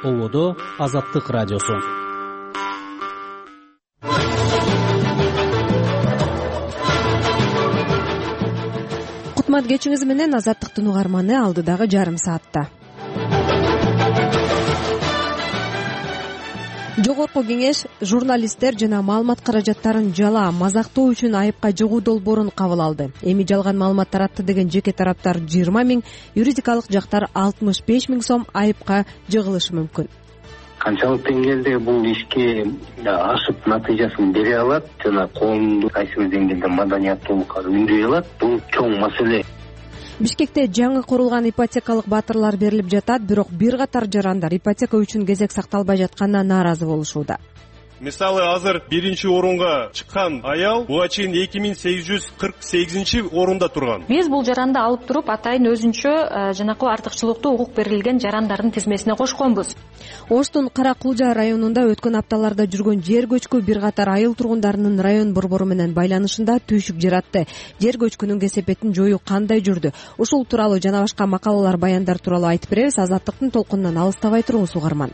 Ободо Азаттык радиосу. Кутман кечиңиз менен Азаттыктын угарманы алдыдагы жарым саатта. Жогорку кеңеш журналисттер жана маалымат каражаттарын жалаа, мазактоо үчүн айыпка жыгуу долбоорун кабыл алды. Эми жалган маалымат таратты деген жеке тараптар 20 000, юридикалык жактар 65 000 сом айыпка жыгылышы мүмкүн. Канчалык деңгээлде бул ишке ашып натыйжасын бере алат жана коомду кайсы бир деңгээлде маданияттуулукка үндөй алат, бул чоң маселе. Бишкекте жаңы курулган ипотекалык батырлар берилип жатат, бирок бир катар жарандар ипотека үчүн кезек сакталбай жатканына нааразы болушууда. Мисалы азыр 1-орунга чыккан аял буга чейин 2848 турган. Биз бул жаранды алып туруп атайын өзүнчө жанакы артыкчылыктуу укук берилген жарандардын тизмесине кошконбуз. Оштун Кара Кулжа районунда өткөн апталарда жүргөн жер көчкү бир катар айыл тургундарынын район борбору менен байланышында түйшүк жаратты. Жер көчкүнүн кесепетин жоюу кандай жүрдү? Ушул тууралуу жана башка макалалар, баяндар тууралуу айтып беребиз. Азаттыктын толкунунан алыстабай туруңуз угарман.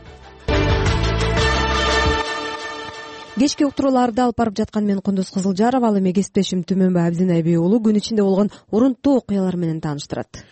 Кечки уктурууларды алып барып жаткан мен Кундуз Кызылжарова, ал эми кесиптешим Түмөнбай Абдинайби уулу күн ичинде болгон урунттуу окуялар менен тааныштырат.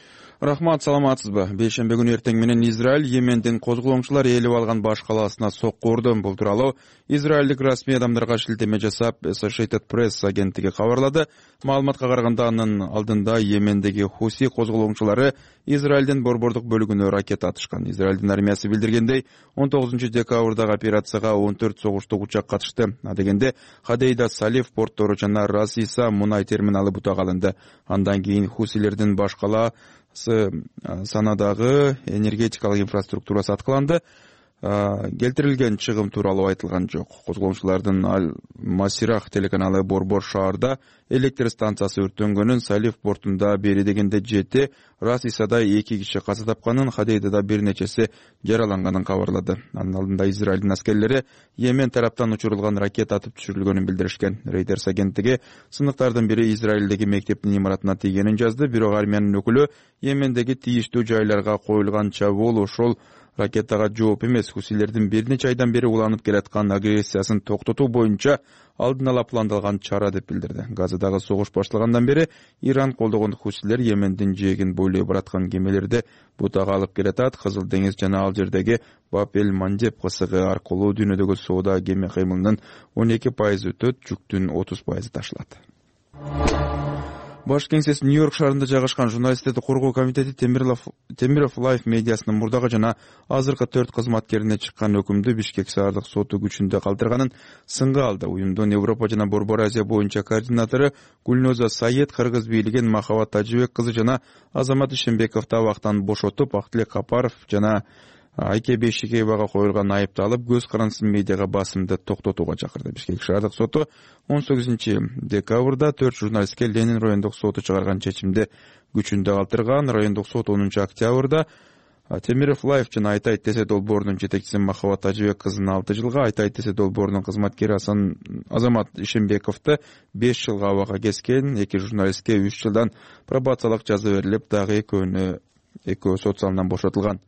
Рахмат, саламатсызбы? Бейшембе күнү эртең менен Израиль Йемендин козголоңчулар ээлеп алган баш калаасына сокку урду. Бул тууралуу израилдик расмий адамдарга шилтеме жасап Associated Press агенттиги кабарлады. Маалыматка караганда анын алдында Йемендеги Хуси козголоңчулары Израилдин борбордук бөлүгүнө ракета атышкан. Израилдин армиясы билдиргендей, 19 декабрдагы операцияга 14 согуштук учак катышты. Адегенде Хадейда Салиф портору жана Расиса мунай терминалы бутага алынды. Андан кийин Хусилердин баш калаасы санадагы энергетикалык инфраструктурасы аткыланды. Келтирилген чыгым тууралуу айтылган жок. Козголоңчулардын Аль-Масирах телеканалы борбор шаарда электр станциясы өрттөнгөнүн, Салиф портунда бери дегенде 7, Расисада 2 киши каза тапканын, Хадейдада бир нечеси жараланганын кабарлады. Анын алдында Израилдин аскерлери Йемен тараптан учурулган ракета атып түшүрүлгөнүн билдиришкен. Reuters агенттиги сындыктардын бири Израилдеги мектептин имаратына тийгенин жазды, бирок армиянын өкүлү Йемендеги тийиштүү жайларга коюлган чабуул ошол ракетага жооп эмес, Хусилердин бир нече айдан бери уланып келаткан агрессиясын токтотуу боюнча алдын ала пландалган чара деп билдирди. Газадагы согуш башталгандан бери Иран колдогон Хусилер Йемендин жээгин бойлой бараткан кемелерди бутага алып келатат. Кызыл деңиз жана ал жердеги Бап-эль-Мандеб кысыгы аркылуу дүйнөдөгү соода кеме кыймылынын 12% өтөт, жүктүн 30% ташылат. Баш кеңсеси Нью-Йорк шаарында жайгашкан журналисттерди коргоо комитети Темиров Лайф медиасынын мурдагы жана азыркы 4 кызматкерине чыккан өкүмдү Бишкек шаардык соту күчүндө калтырганын сынга алды. Уюмдун Европа жана Борбор Азия боюнча координатору Гүлноза Саед кыргыз бийлигин Махабат Тажыбек кызы жана Азамат Ишембековду абактан бошотуп, Актилек Капаров жана Айке Бейшикеевага коюлган айыпты алып, көз карандысын медиага басымды токтотууга чакырды. Бишкек шаардык соту 18 декабрда 4 журналистке Ленин райондук соту чыгарган чечимди күчүндө калтырган. Райондук сот 10 октябрда Темиров Лайф жана Айтайт Тесе долбоорунун жетекчиси Махабат Тажыбек кызын 6 жылга, Айтайт Тесе долбоорунун кызматкери Азамат Ишембековду 5 жылга абакка кескен. 2 журналистке 3 жылдан пробациялык жаза берилип, дагы экөө сот залынан бошотулган.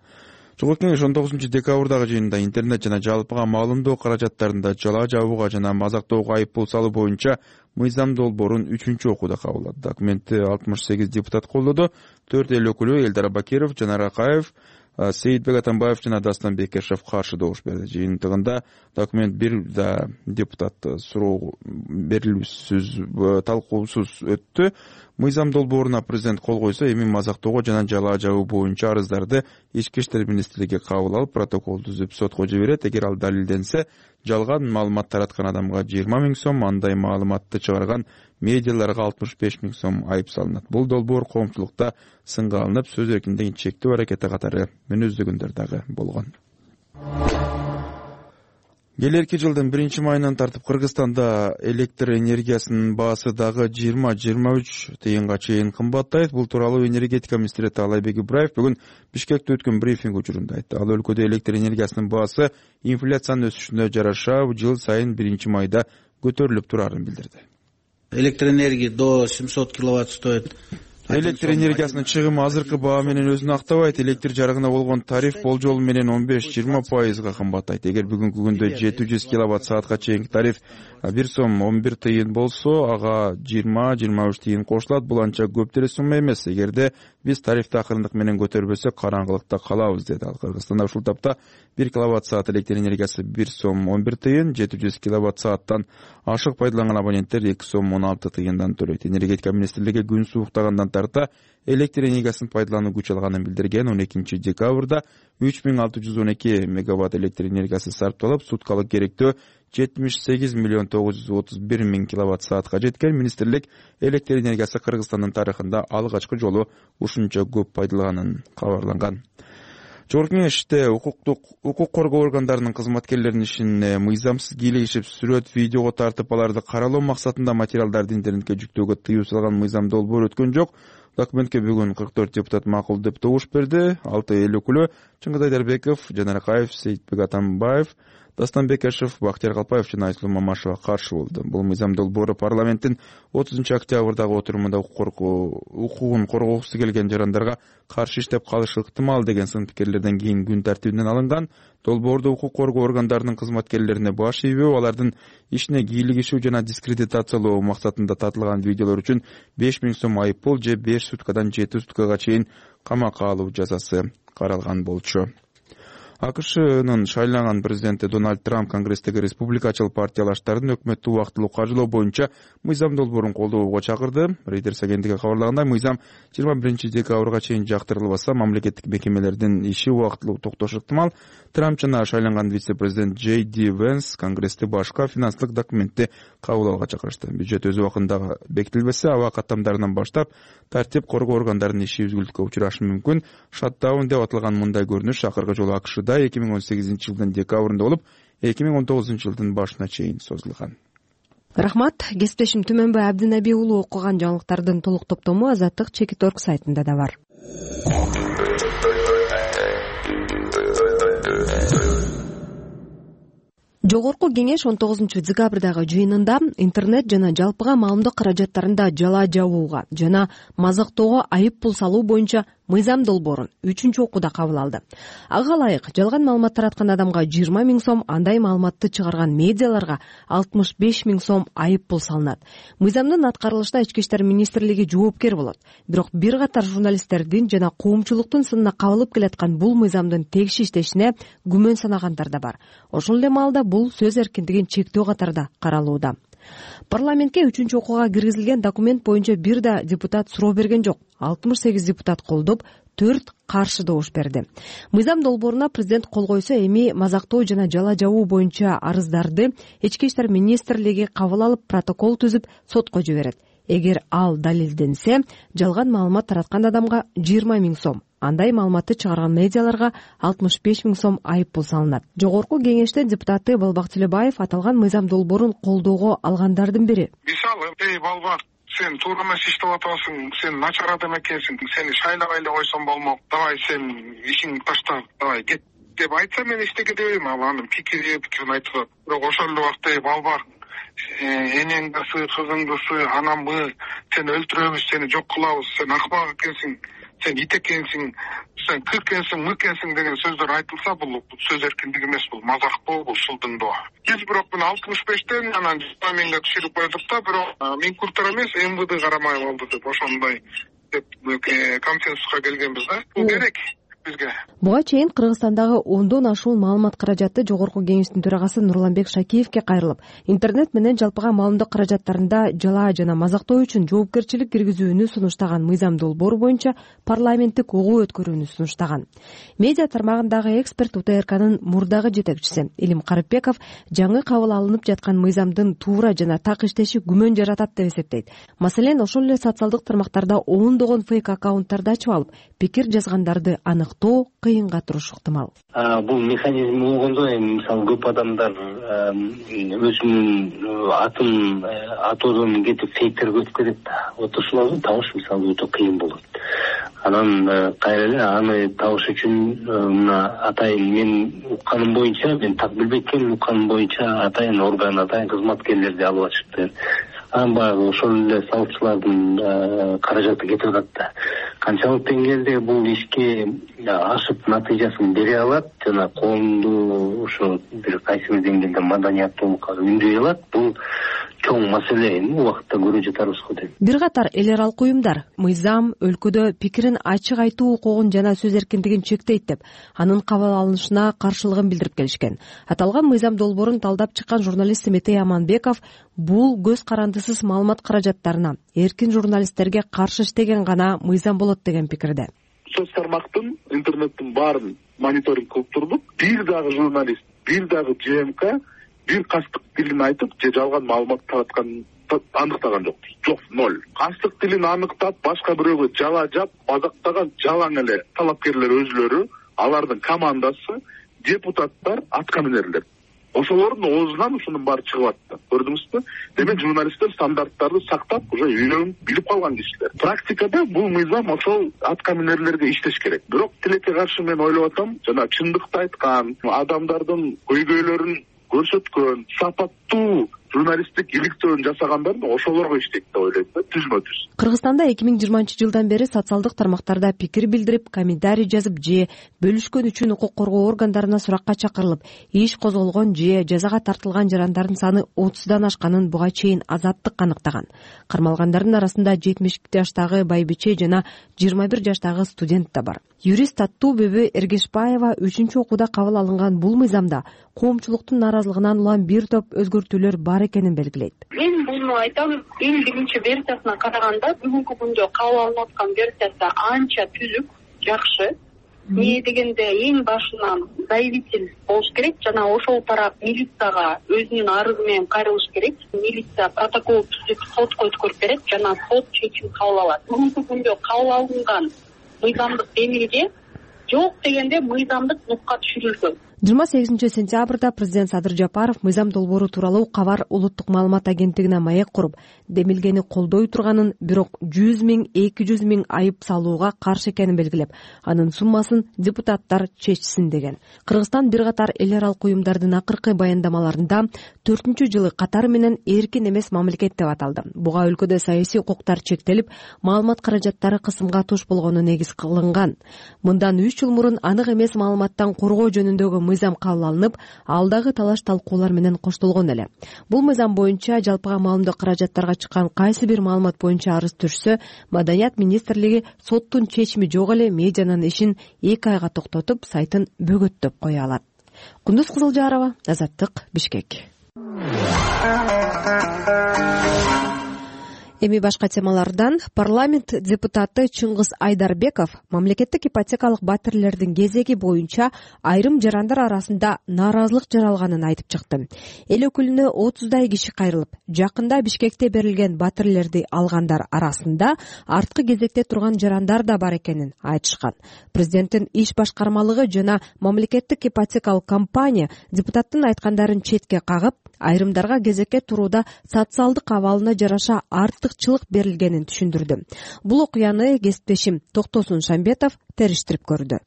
Жогорку кеңеш 19 декабрдагы жыйында интернет жана жалпыга маалымдоо каражаттарында жалаа жабууга жана мазактоого айып пул салуу боюнча мыйзам долбоорун 3-окууда кабыл алды. Документти 68 депутат колдоду. 4 эл өкүлү Элдар Абакиров, Жанар Акаев, Сейитбек Атамбаев жана Дастан Бекешев каршы добуш берди. Жыйынтыгында документ бир да депутат суроо берилүүсүз, талкуусуз өттү. Мыйзам долбооруна президент кол койсо, эми мазактоого жана жалаа жабуу боюнча арыздарды Ички иштер министрлиги кабыл алып, протокол түзүп сотко жиберет. Эгер ал далилденсе, жалган маалымат тараткан адамга 20 000 сом, андай маалыматты чыгарган медиаларга 65 000 сом айып салынат. Бул долбоор коомчулукта сынга алынып, сөз эркиндигин чектөө аракети катары мүнөздөгөндөр дагы болгон. Келерки жылдын 1-майынан тартып Кыргызстанда электр энергиясынын баасы дагы 20-23 тыйынга чейин кымбаттайт. Бул тууралуу энергетика министри Таалайбек Ибраев бүгүн Бишкекте өткөн брифинг учурунда айтты. Ал өлкөдө электр энергиясынын баасы инфляциянын өсүшүнө жараша жыл сайын 1-майда көтөрүлүп турарын билдирди. Электроэнергия до 700 киловатт стоит Электр энергиясынын чыгымы азыркы баа менен өзүн актабайт. Электр жарыгына болгон тариф болжол менен 15-20% кымбаттайт. Эгер бүгүнкү күндө 700 киловатт саатка чейинки тариф 1 сом 11 тыйын болсо, ага 20-23 тыйын кошулат. Бул анча көп деле сумма эмес. Эгерде биз тарифти акырындык менен көтөрбөсөк, караңгылыкта калабыз, деди ал. Кыргызстанда ушул тапта 1 киловатт саат электр энергиясы 1 сом 11 тыйын, 700 киловатт сааттан ашык пайдаланган абоненттер 2 сом 16 тыйындан төлөйт. Энергетика министрлиги күн сууктагандан тарта электр энергиясын пайдалануу күч алганын билдирген. 12 декабрда 3612 мегаватт электр энергиясы сарпталып, суткалык керектөө 78 миллион 931 миң киловатт саатка жеткен. Министрлик электр энергиясы Кыргызстандын тарыхында алгачкы жолу ушунча көп пайдаланганын кабарланган. Жогорку Кеңеште укук коргоо органдарынын кызматкерлеринин ишине мыйзамсыз кийлигишип, сүрөт, видеого тартып, аларды каралоо максатында материалдарды интернетке жүктөөгө тыюу салган мыйзам долбоор өткөн жок. Документке бүгүн 44 депутат макул деп добуш берди. 6 эл өкүлү Чыңгыз Айдарбеков, Жанар Акаев, Сейитбек Атамбаев, Дастан Бекешев, Бактияр Калпаев жана Айсулуу Мамашева каршы болду. Бул мыйзам долбоору парламенттин 30 октябрдагы отурумунда укугун коргогусу келген жарандарга каршы иштеп калышы ыктымал деген сын пикирлерден кийин күн тартибинен алынган. Долбоордо укук коргоо органдарынын кызматкерлерине баш ийбөө, алардын ишине кийлигишүү жана дискредитациялоо максатында тартылган видеолор үчүн 5000 сом айып пул же 5 суткадан 7 суткага чейин камакка алуу жазасы каралган болчу. АКШнын шайланган президенти Дональд Трамп Конгресстеги республикачыл партиялаштардын өкмөттү убактылуу каржылоо боюнча мыйзам долбоорун колдоого чакырды. Reuters агенттиги кабарлагандай, мыйзам 21 декабрга чейин жактырылбаса, мамлекеттик мекемелердин иши убактылуу токтошу ыктымал. Трамп жана шайланган вице-президент Джей Ди Венс Конгрессти башка финанстык документти кабыл алууга чакырышты. Бюджет өз убактында бекитилбесе, аба каттамдарынан баштап тартип коргоо органдарынын иши үзгүлтүккө учурашы мүмкүн. Шаттаун деп аталган мындай көрүнүш акыркы жолу АКШда 2018 жылдын декабрында болуп, 2019 жылдын башына чейин созулган. Рахмат. Кесиптешим Түмөнбай Абдинаби уулу окуган жаңылыктардын толук топтому Азаттык Чекит.org сайтында да бар. Жогорку Кеңеш 19 декабрдагы жыйынында интернет жана жалпыга маалымдык каражаттарында жала жабууга жана мазактоого айып пул салуу боюнча мыйзам долбоорун 3-окууда кабыл алды. Ага ылайык жалган маалымат тараткан адамга 20 000 сом, андай маалыматты чыгарган медиаларга 65 000 сом айып пул салынат. Мыйзамдын аткарылышына Ички иштер министрлиги жоопкер болот. Бирок бир катар журналисттердин жана коомчулуктун сынына кабылып келаткан бул мыйзамдын тегиш иштешине күмөн санагандар да бар. Ошол эле маалда бул сөз эркиндигин чектөө катарда каралууда. Парламентке 3-окууга киргизилген документ боюнча бир да депутат суроо берген жок. 68 депутат колдоп, 4 каршы добуш берди. Мыйзам долбооруна президент кол койсо, эми мазактоо жана жала жабуу боюнча арыздарды Ички иштер министрлиги кабыл алып, протокол түзүп сотко жиберет. Эгер ал далилденсе, жалган маалымат тараткан адамга 20 000 сом, андай маалыматты чыгарган медиаларга 65 000 сом айып пул салынат. Жогорку Кеңештин депутаты Балбак Тилебаев аталган мыйзам долбоорун колдоого алгандардын бири. Мисалы, Балбак, сен туура эмес иштеп атасың, сен начар адам экенсиң, сени шайлабай эле койсоң болмок, давай сен ишиңди таштап, давай кет деп айтса, мен эчтеке дебейм, ал анын пикирин айтып. Бирок ошол эле убакта Балбак, энеңдиси, кызыңдысы, анамбы, сени өлтүрөбүз, сени жок кылабыз, сен акмак экенсиң, сен ит экенсиң, сен кыр экенсиң, мык экенсиң деген сөздөр айтылса, бул сөз эркиндиги эмес, бул мазактоо, бул шылдыңдоо. Биз бирок мына 65тен анан 20 000ге түшүрүп койдук да, бирок Минкультура эмес, МВД карамай калды деп ошондой деп консенсуска келгенбиз да. Бул керек бизге. Буга чейин Кыргызстандагы 10дон ашуун маалымат каражаты Жогорку Кеңештин төрагасы Нурланбек Шакиевке кайрылып, интернет менен жалпыга маалымдык каражаттарында жала жана мазактоо үчүн жоопкерчилик киргизүүнү сунуштаган мыйзам долбоору боюнча парламенттик угуу өткөрүүнү сунуштаган. Медиа тармагындагы эксперт УТРКнын мурдагы жетекчиси Илим Карыпбеков жаңы кабыл алынып жаткан мыйзамдын туура жана так иштеши күмөн жаратат деп эсептейт. Маселен, ошол эле социалдык тармактарда ондогон фейк аккаунттарды ачып алып, пикир жазгандарды аныктоо кыйынга турушу ыктымал. Бул механизм болгондо, эми мисалы көп адамдар өзүнүн атын атоодон кетип фейктерге өтүп кетет да. Вот ошолорду табыш мисалы өтө кыйын болот. Анан кайра эле аны табыш үчүн мына атайын мен укканым боюнча, мен так билбейт экенмин, укканым боюнча атайын орган, атайын кызматкерлерди алып атышыптыр. анан баягы ошол эле салымчылардын каражаты кетип атат да. Канчалык деңгээлде бул ишке ашып натыйжасын бере алат жана коомду ошо бир кайсы бир деңгээлде маданияттуулукка үндөй алат, бул чоң маселе. Эми убакытта көрө жатарбыз го дейм. Бир катар эл аралык уюмдар мыйзам өлкөдө пикирин ачык айтуу укугун жана сөз эркиндигин чектейт деп анын кабыл алынышына каршылыгын билдирип келишкен. Аталган мыйзам долбоорун талдап чыккан журналист Семетей Аманбеков бул көз карандысыз маалымат каражаттарына эркин журналисттерге каршы иштеген гана мыйзам болот деген пикирде. Соц тармактын, интернеттин баарын мониторинг кылып турдук. Бир дагы журналист, бир дагы ЖМК бир кастык тилин айтып же жалган маалымат таратканын аныктаган жок. Жок, ноль. Кастык тилин аныктап, башка бирөөгө жала жап, мазактаган жалаң эле талапкерлер өзүлөрү, алардын командасы, депутаттар, аткаминерлер. Ошолордун оозунан ушунун баары чыгып атты. Көрдүңүзбү? Демек журналисттер стандарттарды сактап, уже үйрөнүп, билип калган кишилер. Практикада бул мыйзам ошол аткаминерлерге иштеш керек. Бирок тилекке каршы мен ойлоп атам, жана чындыкты айткан, адамдардын көйгөйлөрүн көрсөткөн, сапаттуу журналисттик иликтөөнү жасагандар ошолорго иштейт деп ойлойм да, түзмө-түз. Кыргызстанда 2020 жылдан бери социалдык тармактарда пикир билдирип, комментарий жазып же бөлүшкөн үчүн укук коргоо органдарына суракка чакырылып, иш козголгон же жазага тартылган жарандардын саны 30дан ашканын буга чейин Азаттык аныктаган. Кармалгандардын арасында 70 жаштагы байбиче жана 21 жаштагы студент да бар. Юрист Аттуу-Бөбө Эргешбаева 3-окууда кабыл алынган бул мыйзамда коомчулуктун нааразылыгынан улам бир топ өзгөртүүлөр бар экенин белгилейт. Мен буну айтам, эң биринчи версиясына караганда бүгүнкү күндө кабыл алынып аткан версиясы анча түзүк, жакшы. Эмне дегенде эң башынан заявитель болуш керек жана ошол тарап милицияга өзүнүн арызы менен кайрылыш керек. Милиция протокол түзүп сотко өткөрүп берет жана сот чечим кабыл алат. Бүгүнкү күндө кабыл алынган мыйзамдык демилге жок дегенде мыйзамдык нукка түшүрүлгөн. 28 сентябрда президент Садыр Жапаров мыйзам долбоору тууралуу Кабар улуттук маалымат агенттигине маек куруп, демилгени колдой турганын, бирок 100 000, 200 000 айып салууга каршы экенин белгилеп, анын суммасын депутаттар чечсин деген. Кыргызстан бир катар эл аралык уюмдардын акыркы баяндамаларында 4-жылы катары менен эркин эмес мамлекет деп аталды. Буга өлкөдө саясий укуктар чектелип, маалымат каражаттары кысымга туш болгону негиз кылынган. Мындан 3 жыл мурун анык эмес маалыматтан коргоо жөнүндөгү мыйзам кабыл алынып, алдагы талаш-талкуулар менен коштолгон эле. Бул мыйзам боюнча жалпыга маалымдоо каражаттарга чыккан кайсы бир маалымат боюнча арыз түшсө, Маданият министрлиги соттун чечими жок эле медианын ишин 2 айга токтотуп, сайтын бөгөттөп кое алат. Кундуз Кызылжарова, Азаттык, Бишкек. Эми башка темалардан парламент депутаты Чыңгыз Айдарбеков мамлекеттик ипотекалык батирлердин кезеги боюнча айрым жарандар арасында нааразылык жаралганын айтып чыкты. Эл өкүлүнө 30дай киши кайрылып, жакында Бишкекте берилген батирлерди алгандар арасында арткы кезекте турган жарандар да бар экенин айтышкан. Президенттин иш башкармалыгы жана мамлекеттик ипотекалык компания депутаттын айткандарын четке кагып, айрымдарга кезекке турууда социалдык абалына жараша артыкчылык берилгенин түшүндүрдү. Бул окуяны кесиптешим Токтосун Шамбетов териштирип көрдү.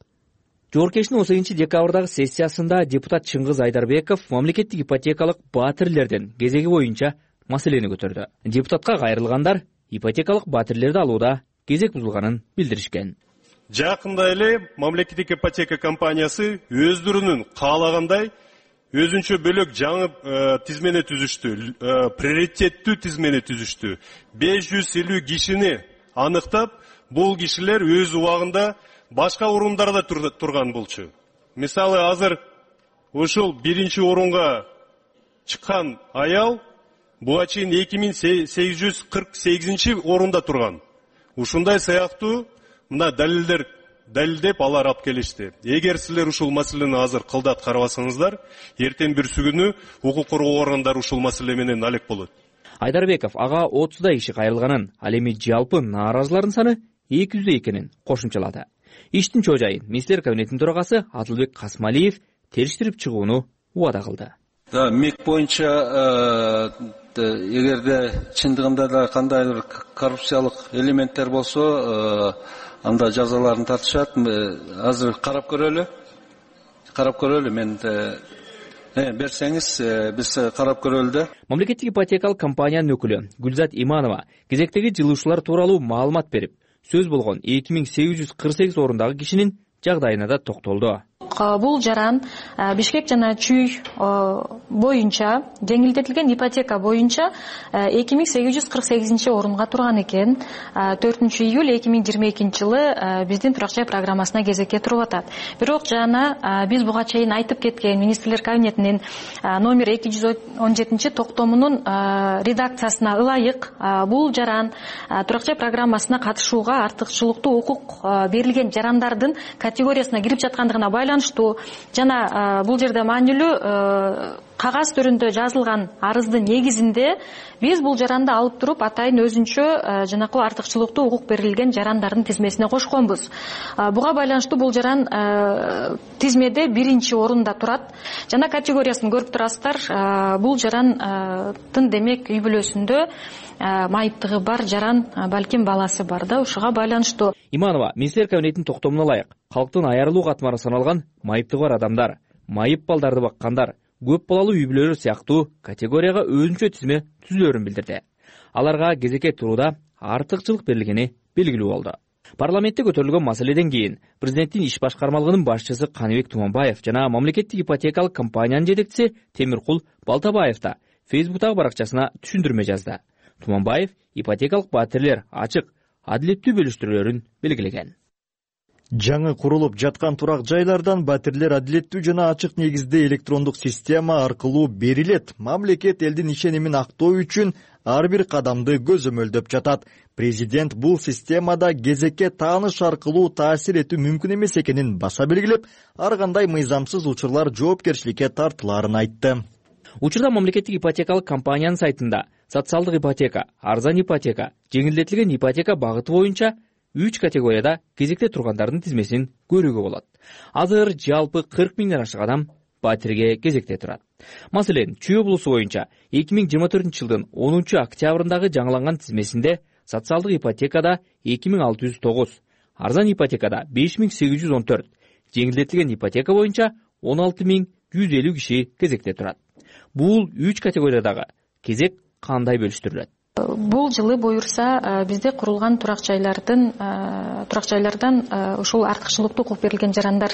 Жогоркештин 18-декабрдагы сессиясында депутат Чыңгыз Айдарбеков мамлекеттик ипотекалык батирлердин кезеги боюнча маселени көтөрдү. Депутатка кайрылгандар ипотекалык батирлерди алууда кезек бузулганын билдиришкен. Жакында эле мамлекеттик ипотека компаниясы өздөрүнүн каалагандай өзүнчө бөлөк жаңы тизмени түзүштү, приоритеттүү тизмени түзүштү. 550 кишини аныктап, бул кишилер өз убагында башка орундарда турган болчу. Мисалы, азыр ушул 1-орунга чыккан аял буга чейин 2848 орунда турган. Ушундай сыяктуу мына далилдеп алар алып келишти. Эгер силер ушул маселени азыр кылдат карабасаңыздар, эртең бүрсү күнү укук коргоо органдары ушул маселе менен алек болот. Айдарбеков ага 30дай киши кайрылганын, ал эми жалпы нааразылардын саны 200 экенин кошумчалады. Иштин чоо жайын министрлер кабинетинин төрагасы Атылбек Касмалиев териштирип чыгууну убада кылды. МИК боюнча эгерде чындыгында да кандайдыр коррупциялык элементтер болсо, анда жазаларын тартышат. Азыр карап көрөлү. Мен берсеңиз биз карап көрөлү да. Мамлекеттик ипотекалык компаниянын өкүлү Гүлзат Иманова кезектеги жылуучулар тууралуу маалымат берип, сөз болгон 2848 орундагы кишинин жагдайына да токтолду. Бул жаран Бишкек жана Чүй боюнча жеңилдетилген ипотека боюнча 2848 орунга турган экен. 4-июль 2022 жылы биздин турак жай программасына кезекке туруп атат. Бирок жана биз буга чейин айтып кеткен министрлер кабинетинин номер 217 токтомунун редакциясына ылайык бул жаран турак жай программасына катышууга артыкчылыктуу укук берилген жарандардын категориясына кирип жаткандыгына байланыштуу жана бул жерде маанилүү кагаз түрүндө жазылган арыздын негизинде биз бул жаранды алып туруп атайын өзүнчө жанакы артыкчылыктуу укук берилген жарандардын тизмесине кошконбуз. Буга байланыштуу бул жаран тизмеде 1-орунда турат. Жана категориясын көрүп турасыздар. Бул жарандын демек үй бүлөсүндө майыптыгы бар жаран, балким баласы бар да, ушуга байланыштуу. Иманова министрлер кабинетинин токтомуна ылайык калктын аярылуу катмары саналган майыптыгы бар адамдар, майып балдарды баккандар, көп балалуу үй бүлөлөр сыяктуу категорияга өзүнчө тизме түзүлөрүн билдирди. Аларга кезекке турууда артыкчылык берилгени белгилүү болду. Парламентте көтөрүлгөн маселеден кийин президенттин иш башкармалыгынын башчысы Каныбек Туманбаев жана мамлекеттик ипотекалык компаниянын жетекчиси Темиркул Балтабаев да Фейсбуктагы баракчасына түшүндүрмө жазды. Туманбаев ипотекалык батирлер ачык, адилеттүү бөлүштүрүүлөрүн белгилеген. Жаңы курулуп жаткан турак жайлардан батирлер адилеттүү жана ачык негизде электрондук система аркылуу берилет. Мамлекет элдин ишенимин актоо үчүн ар бир кадамды көзөмөлдөп жатат. Президент бул системада кезекке тааныш аркылуу таасир этүү мүмкүн эмес экенин баса белгилеп, ар кандай мыйзамсыз учурлар жоопкерчиликке тартылаарын айтты. Учурда мамлекеттик ипотекалык компаниянын сайтында социалдык ипотека, арзан ипотека, жеңилдетилген ипотека багыты боюнча 3 категорияда кезекте тургандардын тизмесин көрүүгө болот. Азыр жалпы 40 миңден ашык адам батирге кезекте турат. Маселен, Чүй облусу боюнча 2024 жылдын 10 октябрындагы жаңыланган тизмесинде социалдык ипотекада 2609, арзан ипотекада 5814, жеңилдетилген ипотека боюнча 16150 киши кезекте турат. Бул 3 категориядагы кезек кандай бөлүштүрүлөт? Бул жылы буюрса бизде курулган турак жайлардан ушул артыкчылыктуу укук берилген жарандар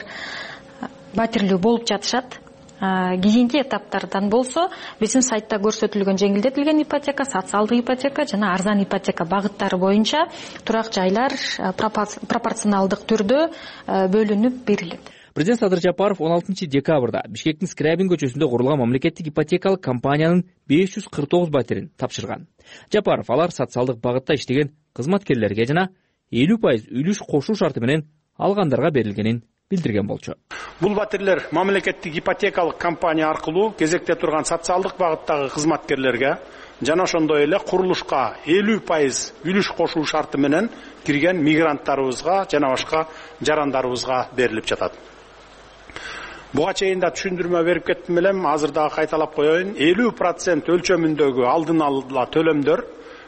батирлүү болуп жатышат. Кийинки этаптардан болсо биздин сайтта көрсөтүлгөн жеңилдетилген ипотека, социалдык ипотека жана арзан ипотека багыттары боюнча турак жайлар пропорционалдык түрдө бөлүнүп берилет. Президент Садыр Жапаров 16 декабрда Бишкектин Скрябин көчөсүндө курулган мамлекеттик ипотекалык компаниянын 549 батирин тапшырган. Жапаров алар социалдык багытта иштеген кызматкерлерге жана 50% үлүш кошуу шарты менен алгандарга берилгенин билдирген болчу. Бул батирлер мамлекеттик ипотекалык компания аркылуу кезекте турган социалдык багыттагы кызматкерлерге жана ошондой эле курулушка 50% үлүш кошуу шарты менен кирген мигранттарыбызга жана башка жарандарыбызга берилип жатат. Буга чейин да түшүндүрмө берип кеттим элем, азыр дагы кайталап коеюн. 50% өлчөмүндөгү алдын ала төлөмдөр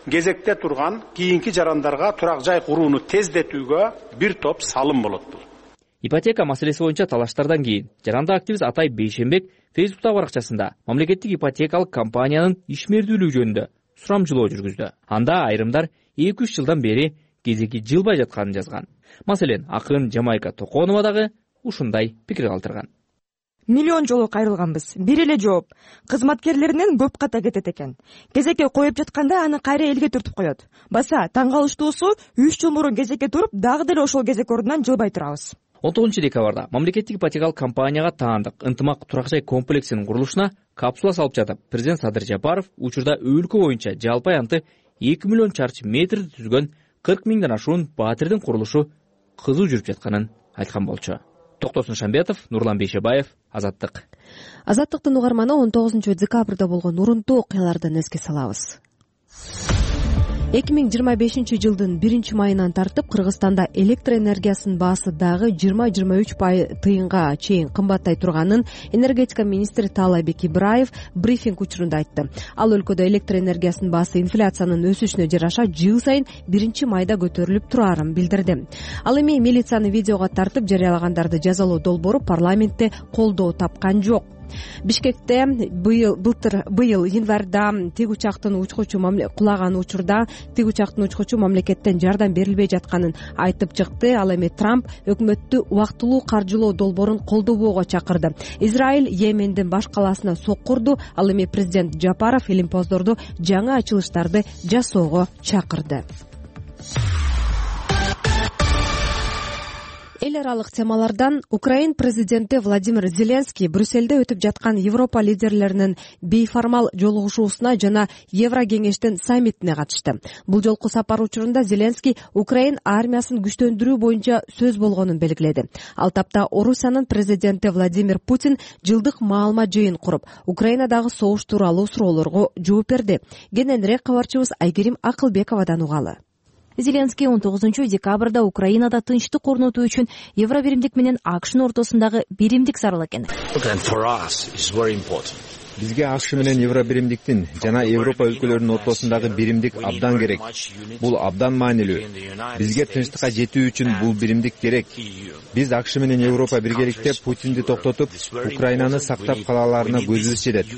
кезекте турган кийинки жарандарга турак жай курууну тездетүүгө бир топ салым болот. Ипотека маселеси боюнча талаштардан кийин жаранды активист Атай Бейшенбек Фейсбуктагы баракчасында мамлекеттик ипотекалык компаниянын ишмердүүлүгү жөнүндө сурамжылоо жүргүздү. Анда айрымдар 2-3 жылдан бери кезеги жылбай жатканын жазган. Маселен, акын Жамайка Токонова дагы ушундай пикир калтырган. Миллион жолу кайрылганбыз. Бир эле жооп. Кызматкерлеринен көп ката кетет экен. Кезекке коюп жатканда аны кайра элге түртүп коет. Баса таң калыштуусу 3 жыл мурун кезекке туруп, дагы деле ошол кезек ордунан жылбай турабыз. 19 декабрда мамлекеттик ипотекалык компанияга таандык ынтымак турак жай комплексинин курулушуна капсула салып жатып, президент Садыр Жапаров учурда өлкө боюнча жалпы аянты 2 миллион чарчы метрди түзгөн 40 миңден ашуун батирдин курулушу кызуу жүрүп жатканын айткан болчу. Токтосун Шамбетов, Нурлан Бейшебаев, Азаттык. Азаттыктын угарманы 19 декабрда болгон урунтуу окуялардан эске салабыз. 2025 жылдын 1-майынан тартып Кыргызстанда электр энергиясынын баасы дагы 20-23 тыйынга чейин кымбаттай турганын энергетика министри Таалайбек Ибраев брифинг учурунда айтты. Ал өлкөдө электр энергиясынын баасы инфляциянын өсүшүнө жараша жыл сайын 1-майда көтөрүлүп турарын билдирди. Ал эми милицияны видеого тартып жарыялагандарды жазалоо долбоору парламентте колдоо тапкан жок. Бишкекте быйыл январда тик учактын учкучу кулаган учурда тик учактын учкучу мамлекеттен жардам берилбей жатканын айтып чыкты. Ал эми Трамп өкмөттү убактылуу каржылоо долбоорун колдобоого чакырды. Израиль Йемендин баш калаасына соккурду. Ал эми президент Жапаров илимпоздорду жаңы ачылыштарды жасоого чакырды. Эл аралык темалардан Украин президенти Владимир Зеленский Брюссельде өтүп жаткан Европа лидерлеринин бейформал жолугушуусуна жана Евро кеңештин саммитине катышты. Бул жолку сапар учурунда Зеленский Украин армиясын күчтөндүрүү боюнча сөз болгонун белгиледи. Ал тапта Орусиянын президенти Владимир Путин жылдык маалымат жыйын куруп, Украинадагы согуш тууралуу суроолорго жооп берди. Кененирээк кабарчыбыз Айгерим Акылбековадан угалы. Зеленский 19 декабрда Украинада тынчтык орнотуу үчүн Евробиримдик менен АКШнын ортосундагы биримдик зарыл экен. Бизге АКШ менен Евробиримдиктин жана Европа өлкөлөрүнүн ортосундагы биримдик абдан керек. Бул абдан маанилүү. Бизге тынчтыкка жетүү үчүн бул биримдик керек. Биз АКШ менен Европа биргеликте Путинди токтотуп, Украинаны сактап калаларына көзүбүз жетет.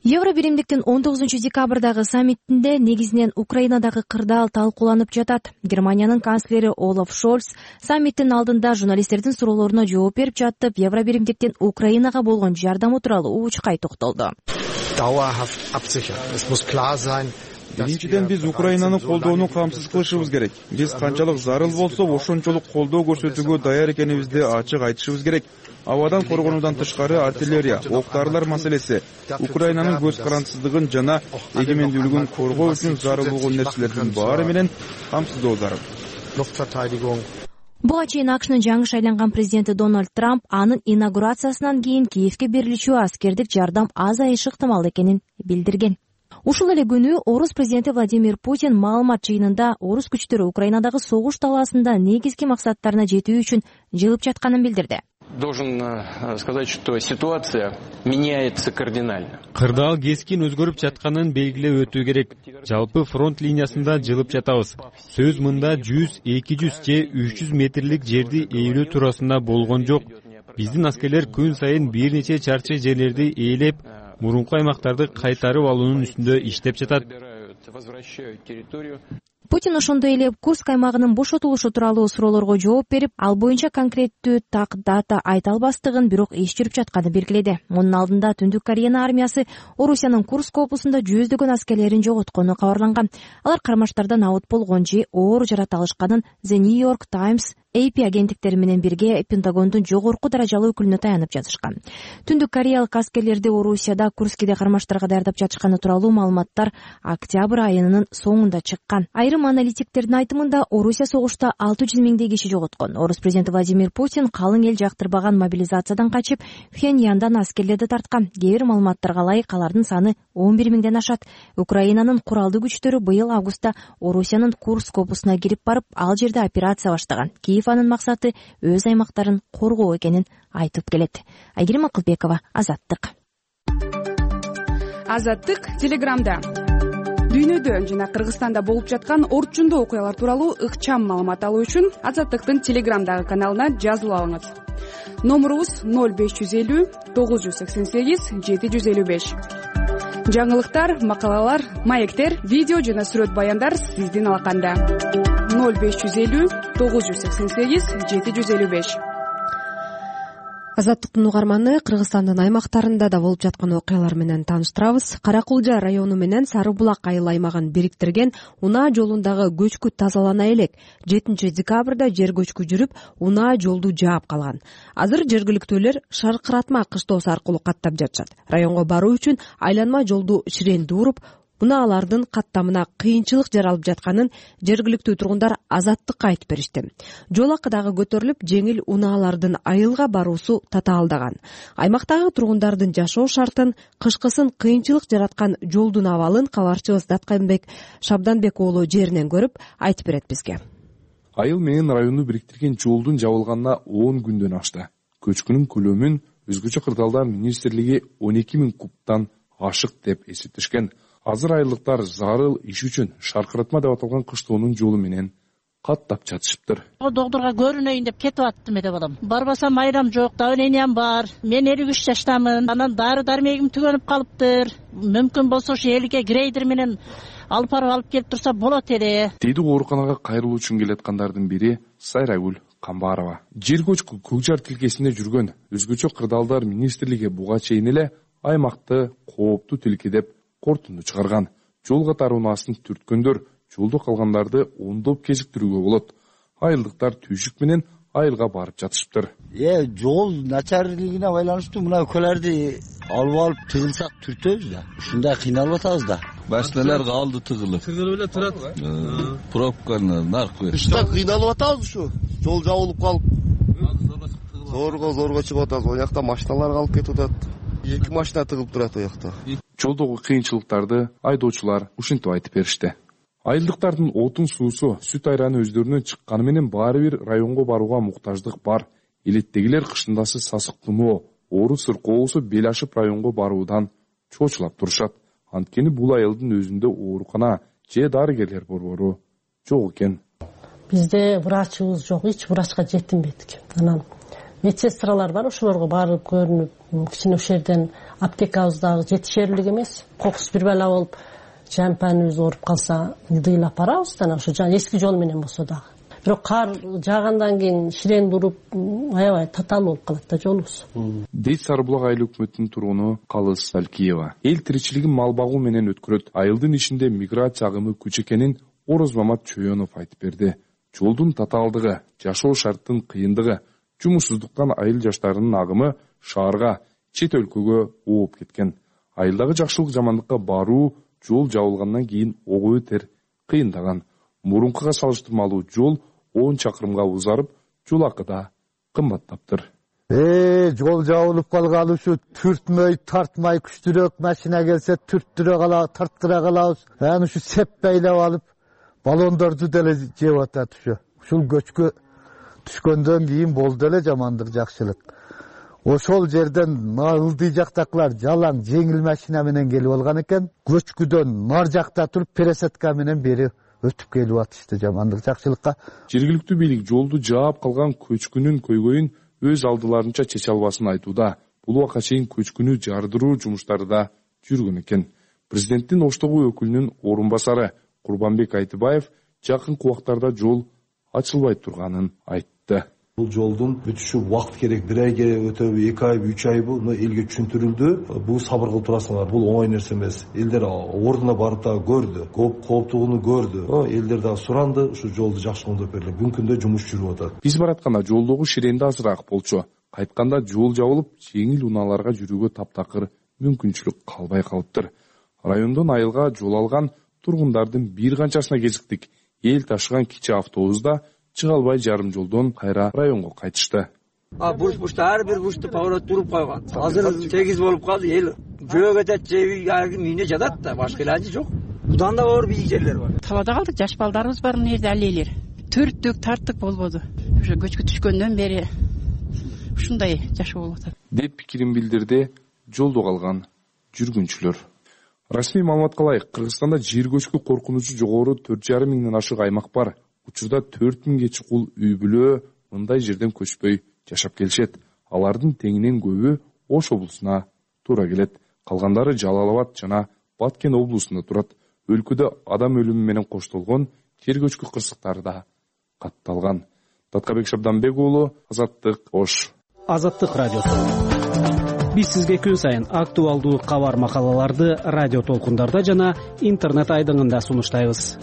Евробиримдиктин 19 декабрдагы саммитинде негизинен Украинадагы кырдаал талкууланып жатат. Германиянын канцлери Олаф Шольц саммиттин алдында журналисттердин суроолоруна жооп берип жатып, Евробиримдиктин Украинага болгон жардамы тууралуу учкай токтолду. Биринчиден биз Украинаны колдоону камсыз кылышыбыз керек. Биз канчалык зарыл болсо ошончолук колдоо көрсөтүүгө даяр экенибизди ачык айтышыбыз керек. Абадан коргонуудан тышкары артиллерия, ок-дарылар маселеси, Украинанын көз карандысыздыгын жана эгемендүүлүгүн коргоо үчүн зарыл болгон нерселердин баары менен камсыздоо зарыл. Буга чейин АКШнын жаңы шайланган президенти Дональд Трамп анын инаугурациясынан кийин Киевке берилүүчү аскердик жардам азайышы ыктымал экенин билдирген. Ушул эле күнү орус президенти Владимир Путин маалымат жыйынында орус күчтөрү Украинадагы согуш талаасында негизги максаттарына жетүү үчүн жылып жатканын билдирди. Должен сказать, что ситуация меняется кардинально. Кырдаал кескин өзгөрүп жатканын белгилеп өтүү керек. Жалпы фронт линиясында жылып жатабыз. Сөз мында 100, 200 же 300 метрлик жерди ээлөө туурасында болгон жок. Биздин аскерлер күн сайын бир нече чарчы жерлерди ээлеп, мурунку аймактарды кайтарып алуунун үстүндө иштеп жатат. Путин ошондой эле Курск аймагынын бошотулушу тууралуу суроолорго жооп берип, ал боюнча конкреттүү так дата айта албастыгын, бирок иш жүрүп жатканын белгиледи. Мунун алдында Түндүк Кореянын армиясы Орусиянын Курск облусунда жүздөгөн аскерлерин жоготкону кабарланган. Алар кармаштардан абут болгон же оор жарата алышканын The New York Times, AP агенттиктери менен бирге Пентагондун жогорку даражалуу өкүлүнө таянып жазышкан. Түндүк кореялык аскерлерди Орусияда Курскиде кармаштарга даярдап жатышканы тууралуу маалыматтар октябрь айынын соңунда чыккан. Айрым аналитиктердин айтымында Орусия согушта 600 миңдей киши жоготкон. Орус президенти Владимир Путин калың эл жактырбаган мобилизациядан качып, Пхеньяндан аскерлерди тарткан. Кээ бир маалыматтарга ылайык алардын саны 11 миңден ашат. Украинанын куралдуу күчтөрү быйыл августта Орусиянын Курск облусуна кирип барып, ал жерде операция баштаган. Анын максаты өз аймактарын коргоо экенин айтып келет. Айгерим Акылбекова, Азаттык. Азаттык Телеграмда. Дүйнөдө жана Кыргызстанда болуп жаткан орчундуу окуялар тууралуу ыкчам маалымат алуу үчүн Азаттыктын Телеграмдагы каналына жазылып алыңыз. Номурубуз 0550 988 755. Жаңылыктар, макалалар, маектер, видео жана сүрөт баяндар сиздин алаканда. 0550 988 755. Азаттыктын угарманы Кыргызстандын аймактарында да болуп жаткан окуялар менен тааныштырабыз. Каракулжа району менен Сары Булак айыл аймагын бириктирген унаа жолундагы көчкү тазалана элек. 7 декабрда жер көчкү жүрүп, унаа жолду жаап калган. Азыр жергиликтүүлөр шаркыратма кыштоосу аркылуу каттап жатышат. Районго баруу үчүн айланма жолду ширенди уруп, унаалардын каттамына кыйынчылык жаралып жатканын жергиликтүү тургундар Азаттыкка айтып беришти. Жол акы дагы көтөрүлүп, жеңил унаалардын айылга баруусу татаалдаган. Аймактагы тургундардын жашоо шартын, кышкысын кыйынчылык жараткан жолдун абалын кабарчыбыз Датканбек Шабданбек уулу жеринен көрүп айтып берет бизге. Айыл менен районду бириктирген жолдун жабылганына 10 күндөн ашты. Көчкүнүн көлөмүн өзгөчө кырдаалдар министрлиги 12 000 кубтан ашык деп эсептешкен. Азыр айылдыктар зарыл иш үчүн шаркыратма деп аталган кыштоонун жолу менен каттап жатышыптыр. Доктурга көрүнөйүн деп кетип аттым эле балам. Барбасам айрам жок, давлениям бар. Мен 53 жаштамын. Анан дары дармегим түгөнүп калыптыр. Мүмкүн болсо ушу элге грейдер менен алып келип турса болот эле. Дейди ооруканага кайрылуу үчүн келаткандардын бири Сайрагүл Камбарова. Жер көчкү көк жар тилкесинде жүргөн өзгөчө кырдаалдар министрлиги буга чейин эле аймакты кооптуу тилке деп корутунду чыгарган. Жол катары унаасын түрткөндөр жолдо калгандарды ондоп кезиктирүүгө болот. Айылдыктар түйшүк менен айылга барып жатышыптыр. Жол начарлыгына байланыштуу мына өлкөлөрдү алып тыгылсак түртөбүз да. Ушундай кыйналып атабыз да. Башкалар калды тыгылып. Тыгылып эле турат. Пробканы наркы. Ушта кыйналып атабыз ушу. Жол жабылып калып. Зорго чыгып атабыз. О жакта машиналар калып кетип атат. 2 машина тыгылып турат о жакта. Жолдогу кыйынчылыктарды айдоочулар ушинтип айтып беришти. Айылдыктардын отун суусу, сүт айраны өздөрүнөн чыкканы менен баары бир районго барууга муктаждык бар. Элеттегилер кышындасы сасык туноо, оору сыркоосу бел ашып районго баруудан чоочулап турушат. Анткени бул айылдын өзүндө оорукана же дарыгерлер борбору жок экен. Бизде врачыбыз жок, эч врачка жетинбедик. Анан медсестралар бар, ошолорго барып көрүнүп, кичине ошол жерден аптекабыз дагы жетишерлик эмес. Кокус бир бала болуп, жампаныбыз ооруп калса, ылдыйлап барабыз да, ошо эски жол менен болсо дагы. Бирок кар жаагандан кийин ширен туруп, аябай татаал болуп калат да жолубуз. Дейт Сарыбулак айыл өкмөтүнүн тургуну Калыс Салкиева. Эл тиричилигин мал багуу менен өткөрөт. Айылдын ишинде миграция агымы күч экенин Орозмамат Чөйөнов айтып берди. Жолдун татаалдыгы, жашоо шарттын кыйындыгы, жумушсуздуктан айыл жаштарынын агымы шаарга, чет өлкөгө ооп кеткен. Айылдагы жакшылык жамандыкка баруу жол жабылгандан кийин ого өтер кыйындаган. Мурункуга салыштырмалуу жол 10 чакырымга узарып, жол акы да кымбаттаптыр. Жол жабылып калгалы ушу түртмөй, тартмай күчтүрөөк машина келсе түрттүрө калабыз, тарткыра калабыз. Анан ушу сеп байлап алып, баллондорду деле жеп атат ушу. Ушул көчкө түшкөндөн кийин болду эле жамандык жакшылык. Ошол жерден ылдый жактакылар жалаң жеңил машина менен келип алган экен. Көчкүдөн нар жакта туруп пересетка менен бери өтүп келип атышты жамандык жакшылыкка. Жергиликтүү бийлик жолду жаап калган көчкүнүн көйгөйүн өз алдыларынча чече албасын айтууда. Бул убакка чейин көчкүнү жардыруу жумуштары да жүргөн экен. Президенттин Оштогу өкүлүнүн орун басары Курбанбек Айтыбаев жакынкы убактарда жол ачылбай турганын айтты. Бул жолдун бүтүшү убакыт керек, 1 айга өтөбү, 2 айбы, 3 айбы, муну элге түшүндүрүлдү. Бул сабыр кылып турасыңар, бул оңой нерсе эмес. Элдер ордуна барып да көрдү, кооптугуну көрдү. Элдер да суранды, ушу жолду жакшыландырып бериле. Бүгүнкү күндө жумуш жүрүп атат. Биз баратканда жолдогу ширенди азыраак болчу. Кайтканда жол жабылып, жеңил унааларга жүрүүгө таптакыр мүмкүнчүлүк калбай калыптыр. Райондон айылга жол алган тургундардын бир канчасына кезиктик. Эл ташыган кичи автобуста чыга албай жарым жолдон кайра районго кайтышты. Бурчта ар бир бурчта поворот туруп койгон. Азыр тегиз болуп калды, эл жөө кетет, же арким үйүнө жатат да, башка илажы жок. Будан да оор бийик жерлер бар. Табада калдык, жаш балдарыбыз бар мына жерде алелер. Төрттүк, тарттык болбоду. Ошо көчкү түшкөндөн бери ушундай жашоо болуп атат. Деп пикирин билдирди жолдо калган жүргүнчүлөр. Расмий маалыматка ылайык, Кыргызстанда жер көчкү коркунучу жогору 4,5 миңден ашык аймак бар. Учурда 4000 чукул үй бүлө мындай жерден көчпөй жашап келишет. Алардын теңинен көбү Ош облусуна туура келет. Калгандары Жалал Абад жана Баткен облусунда турат. Өлкөдө адам өлүмү менен коштолгон жер көчкү кырсыктары да катталган. Таткабек Шабданбек уулу, Азаттык, Ош. Азаттык радиосу. Биз сизге күн сайын актуалдуу кабар макалаларды радио толкундарда жана интернет айдыңында сунуштайбыз.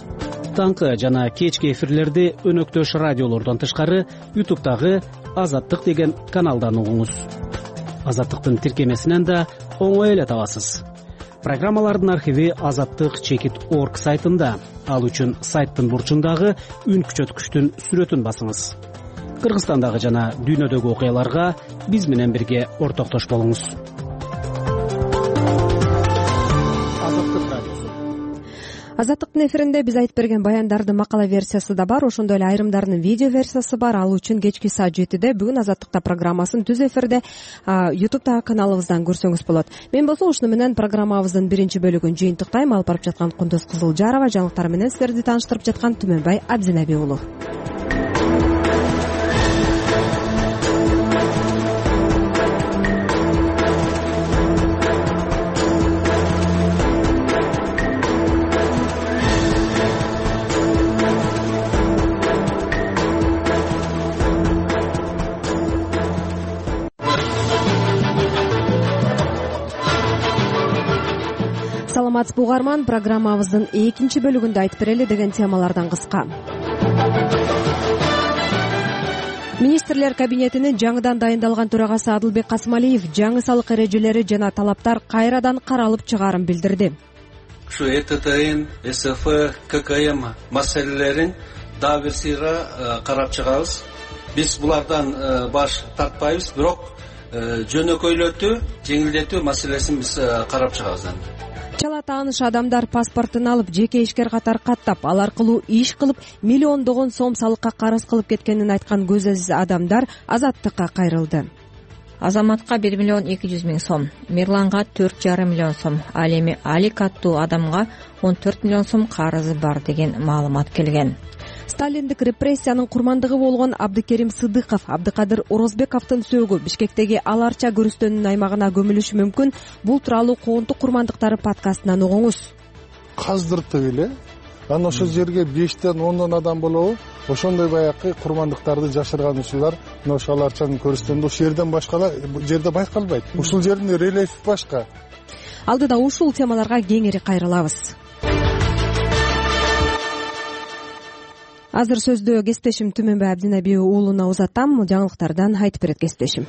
Таңкы жана кечки эфирлерди өнөктөш радиолордон тышкары YouTube'дагы Азаттык деген каналдан угуңуз. Азаттыктын тиркемесинен да оңой эле табасыз. Программалардын архиви azattik.org сайтында. Ал үчүн сайттын бурчундагы үн күчөткүчтүн сүрөтүн басыңыз. Кыргызстандагы жана дүйнөдөгү окуяларга биз менен бирге ортоктош болуңуз. Азаттыктын эфиринде биз айтып берген баяндардын макала версиясы да бар, ошондой эле айрымдарынын видео версиясы бар. Ал үчүн кечки саат 7-де бүгүн Азаттыкта программасын түз эфирде YouTube'дагы каналыбыздан көрсөңүз болот. Мен болсо ушуну менен программабыздын биринчи бөлүгүн жыйынтыктайм. Алып барып жаткан Кундуз Кызылжарова, жаңылыктар менен сиздерди тааныштырып жаткан Түмөнбай Абдинаби уулу. Саламатсызбы угарман, программабыздын экинчи бөлүгүндө айтып берели деген темалардан кыска. Министрлер кабинетинин жаңыдан дайындалган төрагасы Адылбек Касымалиев жаңы салык эрежелери жана талаптар кайрадан каралып чыгаарын билдирди. Ушу ЭТТН, СФ, ККМ маселелерин дагы бир сыйга карап чыгабыз. Биз булардан баш тартпайбыз, бирок жөнөкөйлөтүү, жеңилдетүү маселесин биз карап чыгабыз. Чала тааныш адамдар паспортун алып, жеке ишкер катары каттап, ал аркылуу иш кылып, миллиондогон сом салыкка карыз кылып кеткенин айткан көз азиз адамдар Азаттыкка кайрылды. Азаматка 1 миллион 200 миң сом, Мирланга 4,5 миллион сом, ал эми Алик аттуу адамга 14 миллион сом карызы бар деген маалымат келген. Сталиндик репрессиянын курмандыгы болгон Абдыкерим Сыдыков, Абдыкадыр Орозбековдун сөөгү Бишкектеги аларча көрүстөөнүн аймагына көмүлүшү мүмкүн. Бул тууралуу Коонтук курмандыктары подкастынан угуңуз. Каздыртып эле анан ошол жерге 5тен 10дон адам болобу, ошондой баягы курмандыктарды жашырган учурлар мына ошол аларчанын көрүстөөнүндө ошол жерден башка жерде байкалбайт. Ушул жердин рельефи башка. Алдыда ушул темаларга кеңири кайрылабыз. Азыр сөздө кесиптешим Түмөнбай Абдинаби уулуна узатам. Жаңылыктардан айтып берет кесиптешим.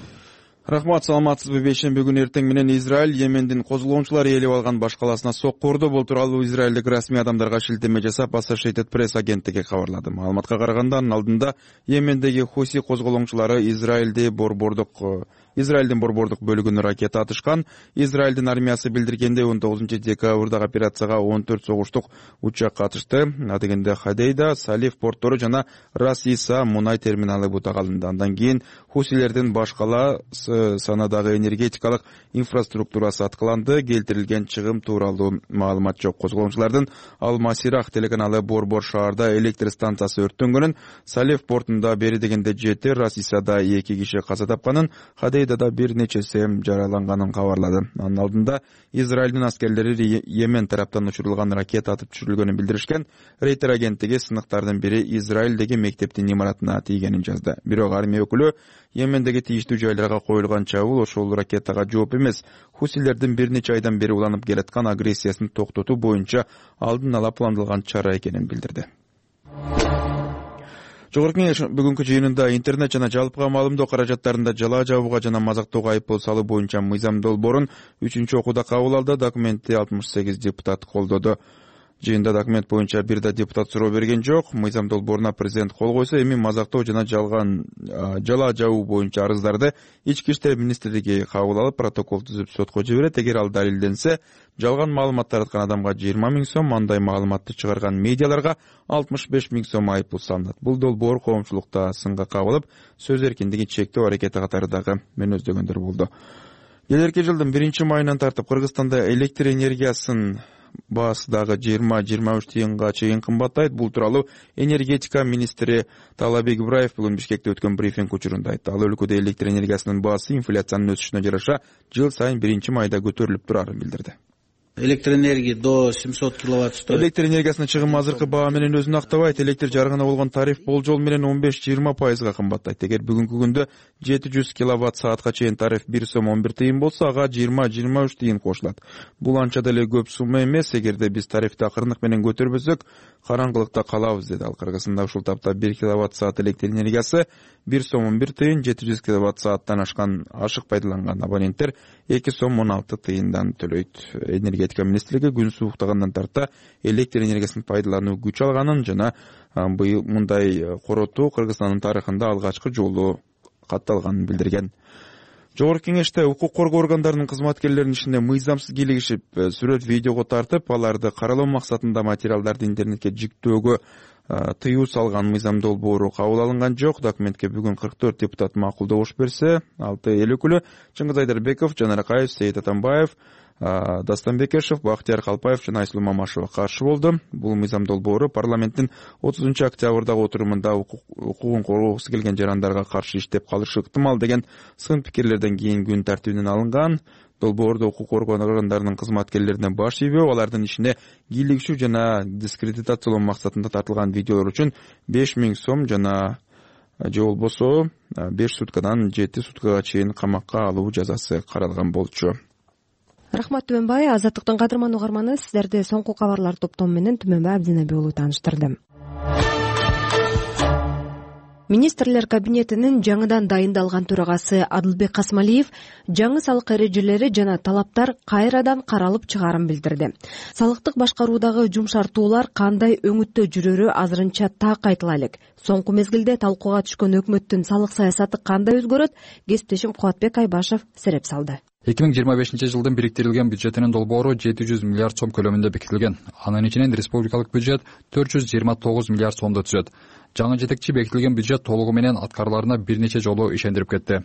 Рахмат, саламатсызбы? Бейшемби күнү эртең менен Израиль Йемендин козголоочулары ээлеп алган баш калаасына сокку урду. Бул тууралуу израилдик расмий адамдарга шилтеме жасап Associated Press агенттиги кабарлады. Маалыматка караганда, анын алдында Йемендеги Хуси козголоочулары Израилдин борбордук бөлүгүнө ракета атышкан. Израилдин армиясы билдиргенде 19 декабрдагы операцияга 14 согуштук учак катышты. Адегенде Хадейда, Салиф порттору жана Рас-Иса мунай терминалы бутак алынды. Андан кийин хусилердин баш кала санадагы энергетикалык инфраструктурасы аткыланды. Келтирилген чыгым тууралуу маалымат жок. Козголоочулардын Ал-Масирах телеканалы борбор шаарда электр станциясы өрттөнгөнүн, Салиф портунда бери дегенде 7, Рас-Исада 2 киши каза тапканын, Хадейда да бир нечеси жараланганын кабарлады. Анын алдында Израилдин аскерлери Йемен тараптан учурулган ракета атып түшүрүлгөнүн билдиришкен. Рейтер агенттиги сыныктардын бири Израилдеги мектептин имаратына тийгенин жазды. Бирок армия өкүлү Йемендеги тийиштүү жайларга коюлган чабуул ошол ракетага жооп эмес, хусилердин бир нече айдан бери уланып келаткан агрессиясын токтотуу боюнча алдын ала пландалган чара экенин билдирди. Жогорку Кеңеш бүгүнкү жыйынында интернет жана жалпыга маалымдоо каражаттарында жалаа жабууга жана мазактоого айыппул салуу боюнча мыйзам долбоорун 3-окууда кабыл алды. Документти 68 депутат колдоду. Жыйында документ боюнча бир да депутат суроо берген жок. Мыйзам долбооруна президент кол койсо, эми мазактоо жана жалаа жабуу боюнча арыздарды ички иштер министрлиги кабыл алып, протокол түзүп сотко жиберет. Эгер ал далилденсе, жалган маалымат тараткан адамга 20 000 сом, андай маалыматты чыгарган медиаларга 65 000 сом айыппул салынат. Бул долбоор коомчулукта сынга кабылып, сөз эркиндигин чектөө аракети катары дагы мөөнөздөгөндөр болду. Келерки жылдын 1-майынан тартып Кыргызстанда электр энергиясын баасы дагы 20-23 тыйынга чейин кымбаттайт. Бул тууралуу энергетика министри Талабек Ибраев бүгүн Бишкекте өткөн брифинг учурунда айтты. Ал өлкөдө электр энергиясынын баасы инфляциянын өсүшүнө жараша жыл сайын 1-майда көтөрүлүп турарын билдирди. Электроэнергия до 700 киловатт стоит. Электр энергиясынын чыгымы азыркы баа менен өзүн актабайт. Электр жарыгына болгон тариф болжол менен 15-20% кымбаттайт. Эгер бүгүнкү күндө 700 киловатт саатка чейин тариф 1 сом 11 тыйын болсо, ага 20-23 тыйын кошулат. Бул анча деле көп сумма эмес. Эгерде биз тарифти акырындык менен көтөрбөсөк, караңгылыкта калабыз, деди ал. Кыргызстанда ушул тапта 1 киловатт саат электр энергиясы 1 сом 11 тыйын, 700 киловатт сааттан ашык пайдаланган абоненттер 2 сом 16 тыйындан төлөйт. Энергетика министрлиги күн сууктагандан тарта электр энергиясын пайдалануу күч алганын жана быйыл мындай коротуу Кыргызстандын тарыхында алгачкы жолу катталганын билдирген. Жогорку Кеңеште укук коргоо органдарынын кызматкерлеринин ишине мыйзамсыз кийлигишип, сүрөт, видеого тартып, аларды каралоо максатында материалдарды интернетке жүктөөгө тыюу салган мыйзам долбоору кабыл алынган жок. Документке бүгүн 44 депутат макулдош берсе, 6 эл өкүлү Чыңгыз Айдарбеков, Жанар Акаев, Сейит Атамбаев, Дастан Бекешев, Бактияр Калпаев жана Айсулуу Мамашева каршы болду. Бул мыйзам долбоору парламенттин 30 октябрдагы отурумунда укугун коргоосу келген жарандарга каршы иштеп калышы ыктымал деген сын пикирлерден кийин күн тартибинен алынган. Долбоордо укук органдарынын кызматкерлерине баш ийбөө, алардын ишине кийлигишүү жана дискредитациялоо максатында тартылган видеолор үчүн 5000 сом жана же болбосо 5 суткадан 7 суткага чейин камакка алуу жазасы каралган болчу. Рахмат Түмөнбай. Азаттыктын кадырман угарманы, сиздерди соңку кабарлар топтому менен Түмөнбай Абдинаби уулу тааныштырды. Министрлер кабинетинин жаңыдан дайындалган төрагасы Адылбек Касмалиев жаңы салык эрежелери жана талаптар кайрадан каралып чыгаарын билдирди. Салыктык башкаруудагы жумшартуулар кандай өңүттө жүрөрү азырынча так айтыла элек. Соңку мезгилде талкууга түшкөн өкмөттүн салык саясаты кандай өзгөрөт? Кесиптешим Кубатбек Айбашев сереп салды. 2025 жылдын бириктирилген бюджетинин долбоору 700 миллиард сом көлөмүндө бекитилген. Анын ичинен республикалык бюджет 429 миллиард сомду түзөт. Жаңы жетекчи бекитилген бюджет толугу менен аткарыларына бир нече жолу ишендирип кетти.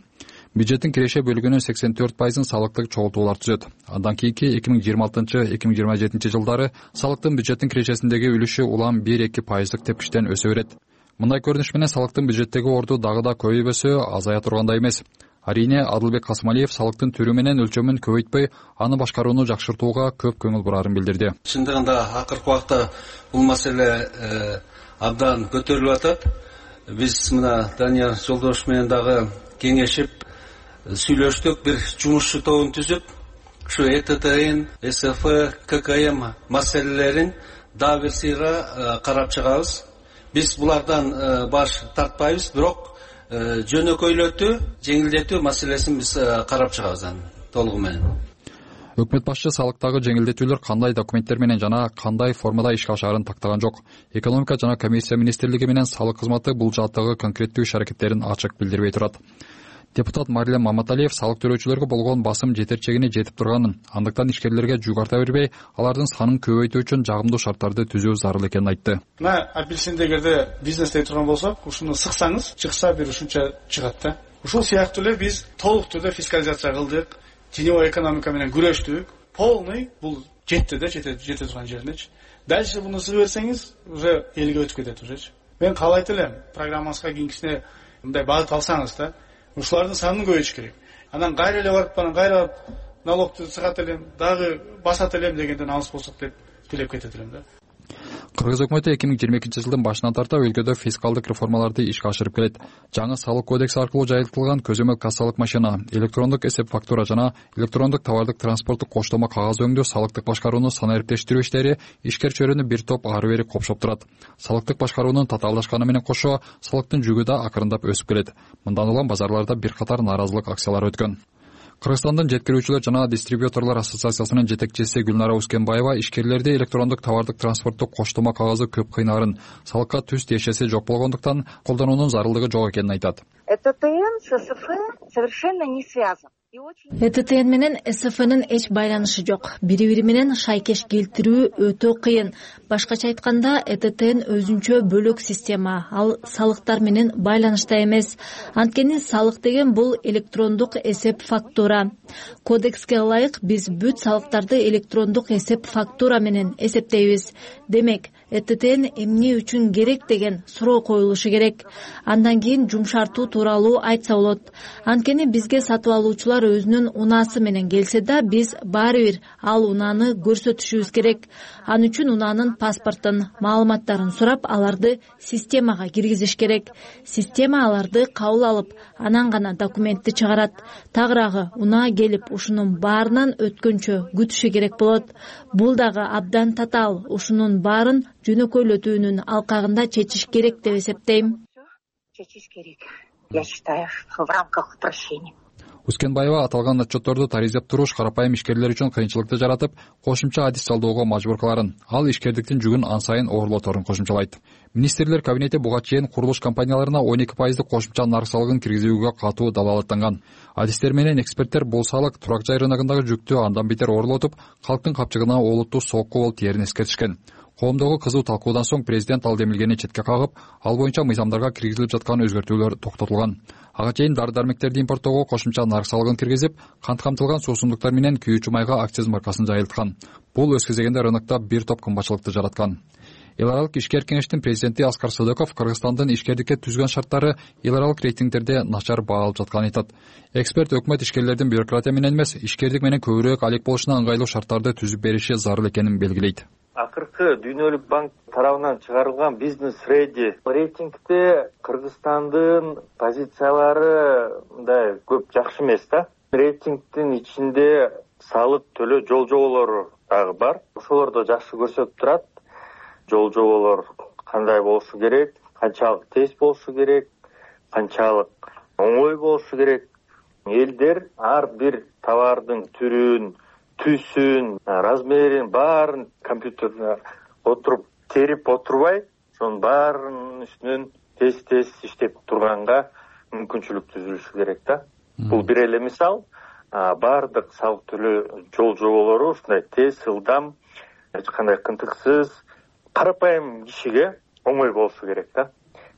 Бюджеттин киреше бөлүгүнүн 84% салыктык чогултуулар түзөт. Андан кийинки 2026-2027 жылдары салыктын бюджеттин кирешесиндеги үлүшү улам 1-2% тепкичтен өсө берет. Мындай көрүнүш менен салыктын бюджеттеги орду дагы да көбөйбөсө азая тургандай эмес. Арине Адылбек Касмалиев салыктын түрү менен өлчөмүн көбөйтпөй, аны башкарууну жакшыртууга көп көңүл бурарын билдирди. Чындыгында акыркы убакта бул маселе абдан көтөрүлүп атат. Биз мына Данияр Жолдошев менен дагы кеңешип, сүйлөштүк, бир жумушчу тобун түзүп, ушу ЭТТН, СФ, ККМ маселелерин дагы бир сыйра карап чыгабыз. Биз булардан баш тартпайбыз, бирок жөнөкөйлөтүү, жеңилдетүү маселесин биз карап чыгабыз толугу менен. Өкмөт башчы салыктагы жеңилдетүүлөр кандай документтер менен жана кандай формада ишке ашаарын тактаган жок. Экономика жана коммерция министрлиги менен салык кызматы бул жааттагы конкреттүү иш-аракеттерин ачык билдирбей турат. Депутат Марлен Маматалиев салык төлөөчүлөргө болгон басым жетерчегине жетип турганын, андыктан ишкерлерге жүк арта бербей, алардын санын көбөйтүү үчүн жагымдуу шарттарды түзүү зарыл экенин айтты. Мына апельсинди эгерде бизнесте турган болсок, ушуну сыксаңыз, чыкса бир ушунча чыгат да. Ушул сыяктуу эле биз толук түрдө фискализация кылдык, теневой экономика менен күрөштүк. Полный бул жетти да, жете турган жеринечи. Дальше буну сыгып берсеңиз, уже элге өтүп кетет ужечи. Мен каалайт элем, программаңызга кийинкисине мындай багыт алсаңыз да, ушулардын санын көбөйтүш керек. Анан кайра эле барып, кайра налогду сыгат элем, дагы басат элем дегенден алыс болсок деп тилеп кетет элем да. Кыргыз өкмөтү 2022 жылдын башынан тарта өлкөдө фискалдык реформаларды ишке ашырып келет. Жаңы салык кодекси аркылуу жайылтылган көзөмөл кассалык машина, электрондук эсеп фактура жана электрондук товардык транспорттук коштомо кагаз өңдөө салыктык башкарууну санариптештирүү иштери ишкер чөйрөнү бир топ ары бери копшоп турат. Салыктык башкаруунун татаалдашканы менен кошо салыктын жүгү да акырындап өсүп келет. Мындан улам базарларда бир катар нааразылык акциялары өткөн. Кыргызстандын жеткирүүчүлөр жана дистрибьюторлор ассоциациясынын жетекчиси Гүлнара Ускенбаева ишкерлерди электрондук товардык транспорттук коштомо кагазы көп кыйнаарын, салыкка түз тиешеси жок болгондуктан колдонуунун зарылдыгы жок экенин айтат. ЭТТН с СФ совершенно не связан. ЭТТН менен СФнын эч байланышы жок. Бири-бири менен шайкеш келтирүү өтө кыйын. Башкача айтканда, ЭТТН өзүнчө бөлөк система, ал салыктар менен байланышта эмес. Анткени салык деген бул электрондук эсеп фактура. Кодекске ылайык биз бүт салыктарды электрондук эсеп фактура менен эсептейбиз. Демек, ЭТТН эмне үчүн керек деген суроо коюлушу керек. Андан кийин жумшартуу тууралуу айтса болот. Анткени бизге сатып алуучулар өзүнүн унаасы менен келсе да, биз баары бир ал унааны көрсөтүшүбүз керек. Ал үчүн унаанын паспортун, маалыматтарын сурап, аларды системага киргизиш керек. Система аларды кабыл алып, анан гана документти чыгарат. Тагыраагы унаа келип, ушунун баарынан өткөнчө күтүшү керек болот. Бул дагы абдан татаал. Ушунун баарын жөнөкөйлөтүүнүн алкагында чечиш керек деп эсептейм. Чечиш керек. Я считаю, в рамках упрощения. Ускенбаева аталган отчетторду таризеп туруш карапайым ишкерлер үчүн кыйынчылыкты жаратып, кошумча адис жалдоого мажбур кыларын, ал ишкердиктин жүгүн ан сайын оорлоторун кошумчалайт. Министрлер кабинети буга чейин курулуш компанияларына 12% кошумча нарк салыгын киргизүүгө катуу далаалаттанган. Адистер менен эксперттер бул салык турак жай рыногундагы жүктү андан бетер оорлотуп, калктын капчыгына олуттуу сокку болуп тиерин эскертишкен. Коомдогу кызуу талкуудан соң президент ал демилгени четке кагып, ал боюнча мыйзамдарга киргизилип жаткан өзгөртүүлөр токтотулган. Ага чейин дары-дармектерди импорттоого кошумча нарк салыгын киргизип, кант камтылган суусундуктар менен күйүүчү майга акциз маркасын жайылткан. Бул өз кезегинде рынокто бир топ кымбатчылыкты жараткан. Эл аралык ишкер кеңештин президенти Аскар Сыдыков Кыргызстандын ишкердикке түзгөн шарттары эл аралык рейтингдерде начар баа алып жатканын айтат. Эксперт өкмөт ишкерлердин бюрократия менен эмес, ишкердик менен көбүрөөк алек болушуна ыңгайлуу шарттарды түзүп бериши зарыл экенин белгилейт. Акыркы Дүйнөлүк банк тарабынан чыгарылган бизнес реди рейтингде Кыргызстандын позициялары мындай көп жакшы эмес да. Рейтингдин ичинде салык төлөө жол жоболору дагы бар. Ошолорду жакшы көрсөтүп турат. Жол жоболор кандай болушу керек, канчалык тез болушу керек, канчалык оңой болушу керек. Элдер ар бир товардын түрүн, түсүн, размерин баарын компьютерде отуруп терип отурбай, ошонун баарынын үстүнөн тез иштеп турганга мүмкүнчүлүк түзүлүшү керек да. Бул бир эле мисал. Баардык салык төлөө жол жоболору ушундай тез, ылдам, эч кандай кынтыксыз, карапайым кишиге оңой болушу керек да.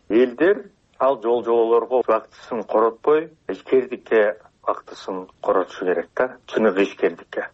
Элдер ал жол жоболорго вактысын коротпой, ишкердикке вактысын коротушу керек да, чыныгы ишкердикке.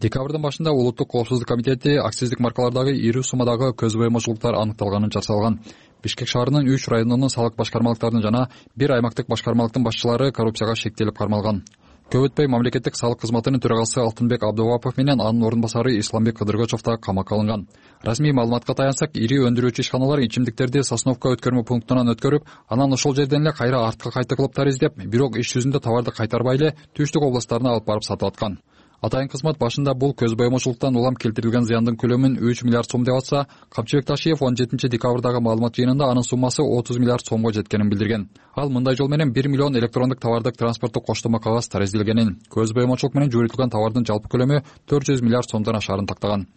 Декабрдын башында Улуттук коопсуздук комитети акциздик маркалардагы ири суммадагы көз боемочулуктар аныкталганын жарыялаган. Бишкек шаарынын 3 районунун салык башкармалыктарынын жана 1 аймактык башкармалыктын башчылары коррупцияга шектелип кармалган. Көп өтпөй мамлекеттик салык кызматынын төрагасы Алтынбек Абдубапов менен анын орун басары Исламбек Кыдыргычев да камакка алынган. Расмий маалыматка таянсак, ири өндүрүүчү ишканалар ичимдиктерди Сосновка өткөрмө пунктунан өткөрүп, анан ошол жерден эле кайра артка кайта кылыптар издеп, бирок иш жүзүндө товарды кайтарбай эле Түштүк областтарына алып барып сатып аткан. Атайын кызмат башында бул көз боемочулуктан улам келтирилген зыяндын көлөмүн 3 миллиард сом деп атса, Камчыбек Ташиев 17 декабрдагы маалымат жыйынында анын суммасы 30 миллиард сомго жеткенин билдирген. Ал мындай жол менен 1 миллион электрондук товардык транспорттук коштомо кагаз тарездилгенин, көз боемочулук менен жөнөтүлгөн товардын жалпы көлөмү 400 миллиард сомдон ашарын тактаган.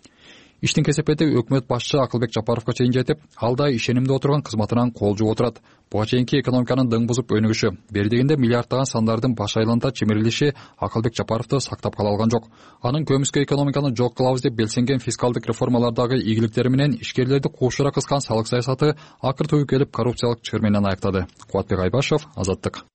Иштин кесепети өкмөт башчы Акылбек Жапаровго чейин жетип, ал да ишенимде отурган кызматынан кол жууп отурат. Буга чейинки экономиканын дың бузуп өнүгүшү, бердигинде миллиарддаган сандардын баш айланта чимирилиши Акылбек Жапаровду сактап кала алган жок. Анын көмүскө экономиканы жок кылабыз деп белсенген фискалдык реформалардагы ийгиликтери менен ишкерлерди куушура кыскан салык саясаты акыр түбү келип коррупциялык чыр менен аяктады. Кубатбек Айбашев, Азаттык.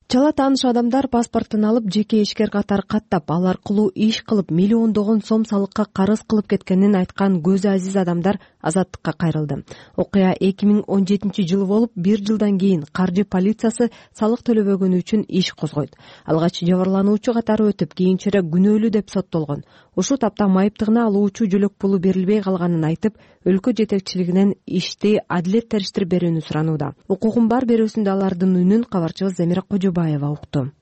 Чала тааныш адамдар паспортун алып, жеке ишкер катары каттап, ал аркылуу иш кылып, миллиондогон сом салыкка карыз кылып кеткенин айткан көзү азиз адамдар Азаттыкка кайрылды. Окуя 2017-жылы болуп, 1 жылдан кийин каржы полициясы салык төлөбөгөнү үчүн иш козгойт. Алгач жабырлануучу катары өтүп, кийинчерээк күнөөлүү деп соттолгон. Ушул тапта майыптыгына алуучу жөлөк пулу берилбей калганын айтып, өлкө жетекчилигинен ишти адилет териштирип берүүнү суранууда. Укугум бар берүүсүндө алардын үнүн кабарчыбыз Замира Кожобаева укту.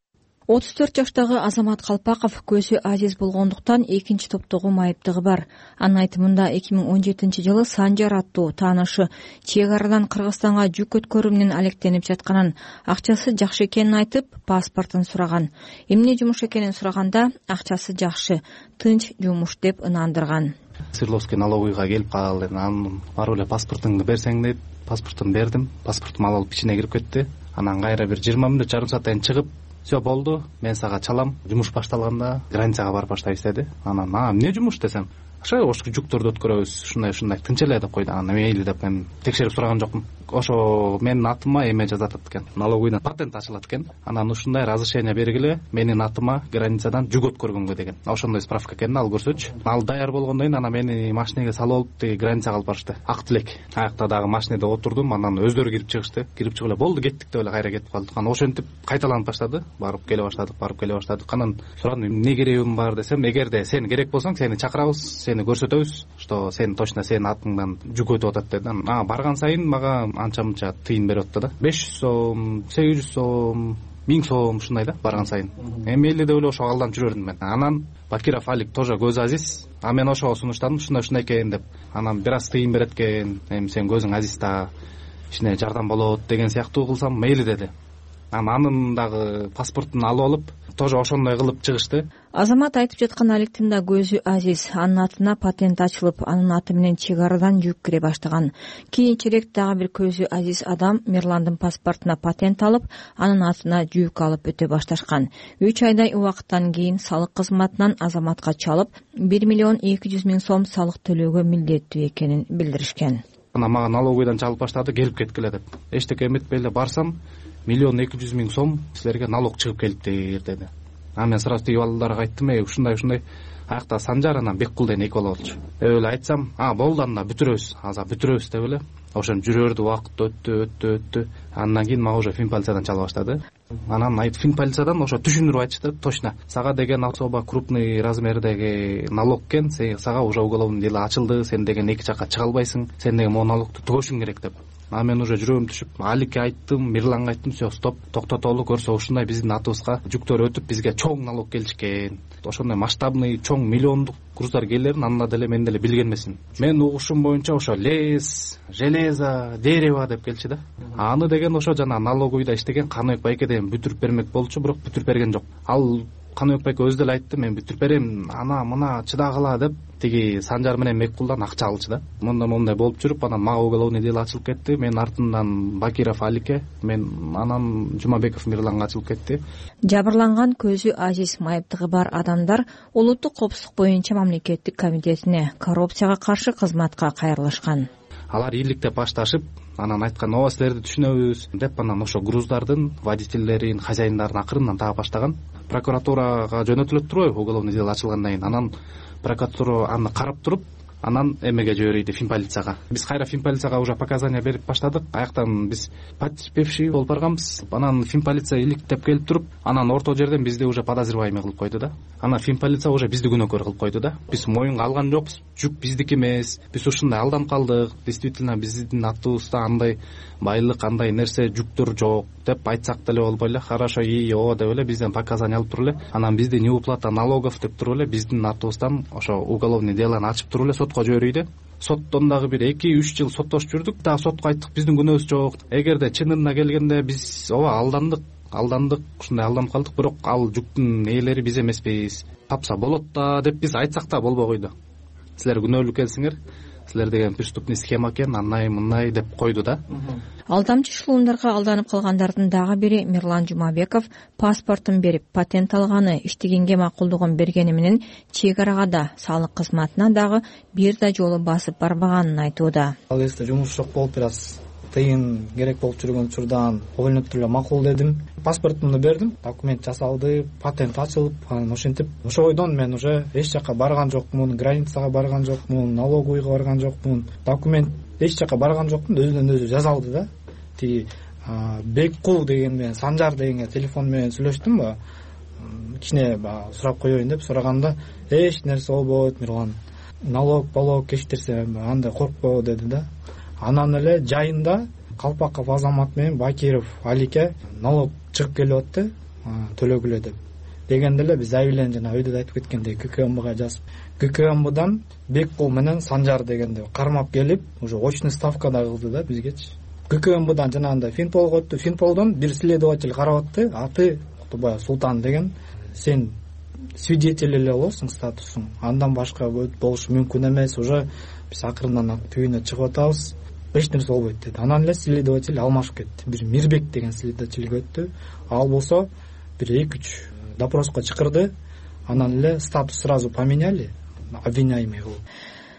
34 жаштагы Азамат Калпаков көзү азиз болгондуктан экинчи топтогу майыптыгы бар. Анын айтымында 2017-жылы Санжар аттуу таанышы чек арадан Кыргызстанга жүк өткөрүү менен алектенип жатканын, акчасы жакшы экенин айтып, паспортун сураган. Эмне жумуш экенин сураганда, акчасы жакшы, тынч жумуш деп ынандырган. Свердловский налоговыйга келип калды. Анан барып эле паспортуңду берсең деп, паспортун бердим. Паспортум алып ичине кирип кетти. Анан кайра бир 20 мүнөт, жарым сааттан чыгып, все болду, мен сага чалам. Жумуш башталганда границага барып баштайбыз деди. Анан эмне жумуш десем, ошо жүктөрдү өткөрөбүз, ушундай деп тынч эле деп койду. Анан мейли деп мен текшерип сураган жокмун. Ошо менин атыма эме жазатат экен, налоговыйдан патент ачылат экен. Анан ушундай разрешение бергиле, менин атыма границадан жүк өткөргөнгө деген. Ошондой справка экенин ал көрсөчү. Ал даяр болгондон кийин анан мени машинеге салып алып, тиги границага алып барышты. Ак тилек. Аякта дагы машинеде отурдум, анан өздөрү кирип чыгышты. Кирип чыгып эле болду, кеттик деп эле кайра кетип калдык. Анан ошентип кайталанып баштады. Барып келе баштадык. Анан сурадым, эмне керегим бар десем, эгерде сен керек болсоң, сени чакырабыз, сени көрсөтөбүз, что сен точно сенин атыңдан жүк өтүп атат деди. Барган сайын мага анча-мынча тыйын берип атты да. 500 сом, 800 сом, 1000 сом ушундай да барган сайын. Мейли деп эле ошо алданып жүрөрдүм мен. Анан Бакиров Алик тоже көз азиз. Мен ошого сунуштадым, ушундай экен деп. Анан бир аз тыйын берет экен. Эми сен көзүң азиз да, ичине жардам болот деген сыяктуу кылсам, мейли деди. анын дагы паспортун алып алып тоже ошондой кылып чыгышты. Азамат айтып жаткан алектин да көзү азиз. Анын атына патент ачылып, анын аты менен чек арадан жүк кире баштаган. Кийинчерээк дагы бир көзү азиз адам Мирландын паспортуна патент алып, анын атына жүк алып өтө башташкан. 3 айдай убакыттан кийин салык кызматынан Азаматка чалып 1 миллион 200 миң сом салык төлөөгө милдеттүү экенин билдиришкен. Анан мага налоговыйдан чалып баштады, келип кеткиле деп. Эчтеке эметпей эле барсам 1 миллион 200 миң сом силерге налог чыгып келиптир деди. Мен сразу тиги балдарга айттым, ушундай аякта Санжар анан Беккул деген 2 бала болчу. Эле айтсам, болду анда бүтүрөбүз, азыр бүтүрөбүз деп эле. Ошентип жүрөрдү, убакыт өттү. Андан кийин мага уже финполициядан чала баштады. Анан финполициядан ошо түшүндүрүп айтышты, точно. Сага деген особо крупный размердеги налог экен, сага уже уголовный дело ачылды, сен деген 2 жакка чыга албайсың, сен деген могу налогту түгөшүң керек деп. Мен уже жүрөгүм түшүп, Аликке айттым, Мирланга айттым, все, стоп, токтотолу, көрсө ушундай биздин атыбызга жүктөр өтүп, бизге чоң налог келишкен. Ошондой масштабный, чоң миллиондук груздар келерин анда деле мен деле билген эмесмин. Мен угушум боюнча ошо лес, железо, дерево деп келчү да. Аны деген ошо жана налоговыйда иштеген Каныбек байке деген бүтүрүп бермек болчу, бирок бүтүрүп берген жок. Ал Каныбек байке өзү деле айтты, мен бүтүрүп берем, ана мына чыдагыла деп тиги Санжар менен Беккулдан акча алчу да. Мондай болуп жүрүп, анан мага уголовный дело ачылып кетти. Мен артынан Бакиров Аликке, мен анан Жумабеков Мирланга ачылып кетти. Жабырланган көзү азиз майыптыгы бар адамдар улуттук коопсуздук боюнча мамлекеттик комитетине коррупцияга каршы кызматка кайрылышкан. Алар ийгиликтеп башташып, анан айткан, ооба силерди түшүнөбүз деп, анан ошо груздардын водительдерин, хозяиндарын акырындан таап баштаган. Прокуратурага жөнөтүлөт турбайбы, уголовный дело ачылгандан кийин. Анан прокуратура аны карап туруп, анан эмеге жиберийди, финполицияга. Биз кайра финполицияга уже показания берип баштадык. Аяктан биз потерпевший болуп барганбыз. Анан финполиция иликтеп келип туруп, анан орто жерден бизди уже подозреваемый кылып койду да. Анан финполиция уже бизди күнөөкөр кылып койду да. Биз моюнга алган жокпуз, жүк биздики эмес. Биз ушундай алданып калдык. Действительно биздин атыбызда андай байлык, андай нерсе, жүктөр жок деп айтсак деле болбой эле. Хорошо, ооба деп эле бизден показания алып туруп эле. Анан бизди неуплата налогов деп туруп эле биздин атыбыздан ошо уголовный делону ачып туруп эле сотко жиберийди. Соттон дагы бир 2-3 жыл соттошуп жүрдүк, дагы сотко айттык, биздин күнөөбүз жок. Эгерде чынына келгенде биз ооба алдандык, ушундай алданып калдык, бирок ал жүктүн ээлери биз эмеспиз. Тапса болот да деп биз айтсак да болбой койду. Силер күнөөлүү экенсиңер, силер деген преступный схема экен, андай мындай деп койду да. Алдамчы шылымдарга алданып калгандардын дагы бири Мирлан Жумабеков паспортун берип, патент алганы, иштегенге макулдугун бергени менен чек арага да, салык кызматына дагы бир да жолу басып барбаганын айтууда. Ал кезде жумуш жок болуп, бир аз тыйын керек болуп жүргөн учурдан ойлонуп эле макул дедим. Паспортумду бердим, документ жасалды, патент ачылып, анан ошентип ошойдон мен уже эч жака барган жокмун, границага барган жокмун, налоговыйга барган жокмун, документ эч жака барган жокмун, өзүнөн өзү жазалды да. Тиги Беккул деген менен Санжар дегенге телефон менен сүйлөштүм ба, кичине сурап коеюн деп сураганда, эч нерсе болбойт, Мирлан, налог кечтирсе андай коркпо деди да. Анан эле жайында Калпаков Азамат менен Бакиров Аликке налог чыгып келип атты, төлөгүлө деп. Дегенде эле биз заявление жана өйдө айтып кеткендей ККМБга жазып, ККМБдан Беккул менен Санжар дегенде кармап келип, уже очный ставка да кылды да бизгечи. ККМБдан жанагындай Финполго өттү. Финполдон бир следователь карап атты, аты Кутубай Султан деген. Сен свидетель эле болосуң, статусуң. Андан башка болушу мүмкүн эмес. Уже биз акырындан түйүнө чыгып атабыз. Эч нерсе болбойт деди. Анан эле следователь алмашып кетти. Бир Мирбек деген следовательге өттү. Ал болсо бир 2-3 допроско чакырды. Анан эле статус сразу поменяли, обвиняемый кылып.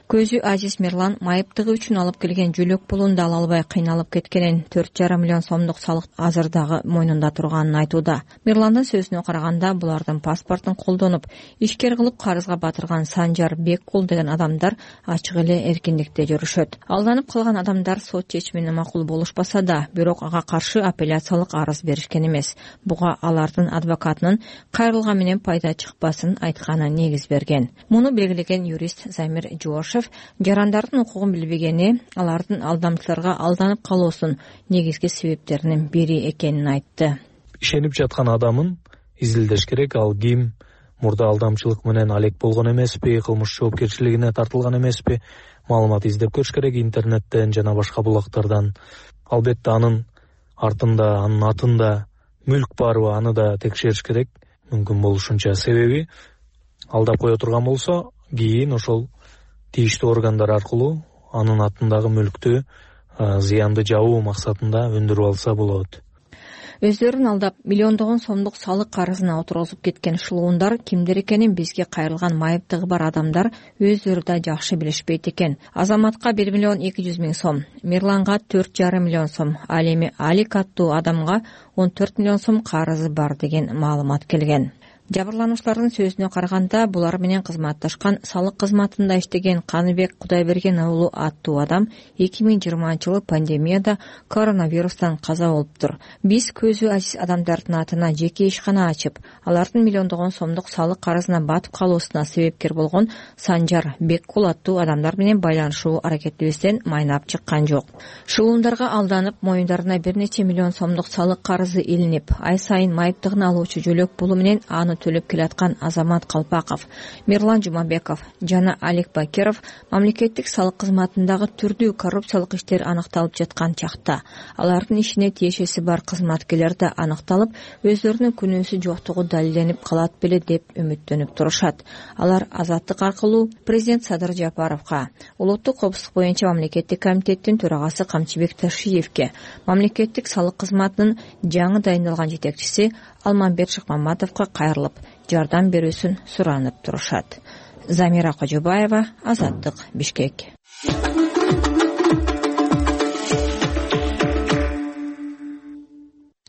Көзү азиз Мирлан майыптыгы үчүн алып келген жөлөк пулун да ала албай кыйналып кеткенин, 4,5 миллион сомдук салык азыр дагы мойнунда турганын айтууда. Мирландын сөзүнө караганда, булардын паспортун колдонуп, ишкер кылып карызга батырган Санжар, Беккул деген адамдар ачык эле эркиндикте жүрүшөт. Алданып калган адамдар сот чечимине макул болушпаса да, бирок ага каршы апелляциялык арыз беришкен эмес. Буга алардын адвокатынын кайрылган менен пайда чыкпасын айтканы негиз берген. Муну белгилеген юрист Замир Жуашев жарандардын укугун билбегени, алардын алдамчыларга алданып калуусунун негизги себептеринин бири экенин айтты. Ишенип жаткан адамын изилдеш керек, ал ким, мурда алдамчылык менен алек болгон эмеспи, кылмыш жоопкерчилигине тартылган эмеспи, маалымат издеп көрүш керек интернеттен жана башка булактардан. Албетте анын артында, анын атында мүлк барбы аны да текшериш керек мүмкүн болушунча. Себеби алдап кое турган болсо кийин ошол тийиштүү органдар аркылуу анын атындагы мүлктү зыянды жабуу максатында өндүрүп алса болот. Өздөрүн алдап миллиондогон сомдук салык карызына отургузуп кеткен шылуундар кимдер экенин бизге кайрылган майыптыгы бар адамдар өздөрү да жакшы билишпейт экен. Азаматка 1 миллион 200 миң сом, Мирланга 4,5 миллион сом, ал эми Алик аттуу адамга 14 миллион сом карызы бар деген маалымат келген. Жабырлануучулардын сөзүнө караганда булар менен кызматташкан салык кызматында иштеген Каныбек Кудайберген уулу аттуу адам 2020-жылы пандемияда коронавирустан каза болуптур. Биз көзү азиз адамдардын атына жеке ишкана ачып, алардын миллиондогон сомдук салык карызына батып калуусуна себепкер болгон Санжар Беккул аттуу адамдар менен байланышуу аракетибизден майнап чыккан жок. Шылуундарга алданып, моюндарына бир нече миллион сомдук салык карызы илинип, ай сайын майыптыгын алуучу жөлөк пулу менен аны төлөп келаткан Азамат Калпаков, Мирлан Жумабеков жана Алик Бакиров мамлекеттик салык кызматындагы түрдүү коррупциялык иштер аныкталып жаткан чакта алардын ишине тиешеси бар кызматкерлер да аныкталып, өздөрүнүн күнөөсү жоктугу далилденип калат беле деп үмүттөнүп турушат. Алар азаттык аркылуу президент Садыр Жапаровго, улуттук коопсуздук боюнча мамлекеттик комитеттин төрагасы Камчыбек Ташиевке, мамлекеттик салык кызматынын жаңы дайындалган жетекчиси Алмамбет Шыкмаматовго кайрылып, жардам берүүсүн суранып турушат. Замира Кожобаева, Азаттык, Бишкек.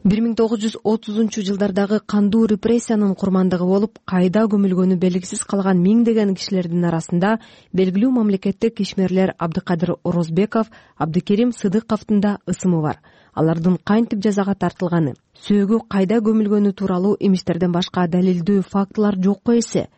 1930-жылдардагы кандуу репрессиянын курмандыгы болуп, кайда көмүлгөнү белгисиз калган миңдеген кишилердин арасында белгилүү мамлекеттик ишмерлер Абдыкадыр Орозбеков, Абдыкерим Сыдыковдун да ысымы бар. Алардын кантип жазага тартылганы, сөөгү кайда көмүлгөнү тууралуу эмистерден башка далилдүү фактылар жокко эсе.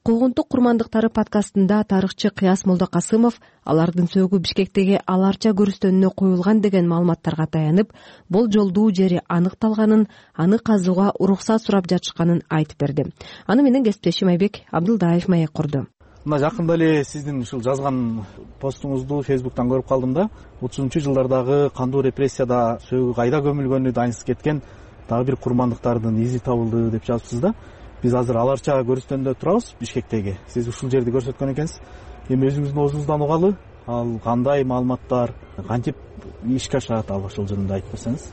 Куугунтук курмандыктары подкастында тарыхчы Кыяс Молдокасымов алардын сөөгү Бишкектеги аларча көрүстөнүнө коюлган деген маалыматтарга таянып, болжолдуу жери аныкталганын, аны казууга уруксат сурап жатышканын айтып берди. Аны менен кесиптешим Айбек Абдылдаев маек курду. Мына жакында эле сиздин ушул жазган постуңузду Фейсбуктан көрүп калдым да. 30-жылдардагы кандуу репрессияда сөөгү кайда көмүлгөнү дайынсыз кеткен дагы бир курмандыктардын изи табылды деп жазыпсыз да. Биз азыр аларча көрүстөндө турабыз Бишкектеги. Сиз ушул жерди көрсөткөн экенсиз. Эми өзүңүздүн оозуңуздан угалы, ал кандай маалыматтар, кантип ишке ашат, ал ошол жөнүндө айтып берсеңиз.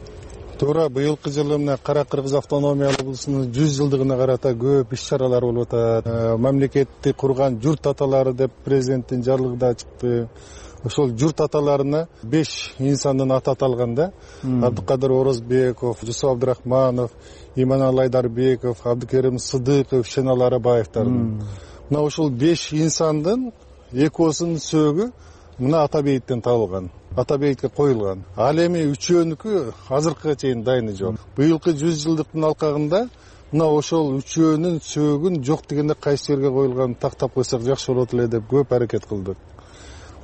Туура, быйылкы жылы мына Кара Кыргыз автономиялык облусунун 100 жылдыгына карата көп иш-чаралар болуп атат. Мамлекетти курган журт аталары деп президенттин жарлыгы да чыкты. Ошол журт аталарына 5 инсандын аты аталган да. Абдыкадыр Орозбеков, Жусуп Абдрахманов, Иманалы Айдарбеков, Абдыкерим Сыдыков, Шенал Арабаевдардын. Мына ошол 5 инсандын экөөсүнүн сөөгү мына Ата бейиттен табылган. Ата бейитке коюлган. Ал эми үчөөнүкү азыркыга чейин дайыны жок. Быйылкы 100 жылдыктын алкагында мына ошол үчөөнүн сөөгүн жок дегенде кайсы жерге коюлганын тактап койсок жакшы болот эле деп көп аракет кылдык.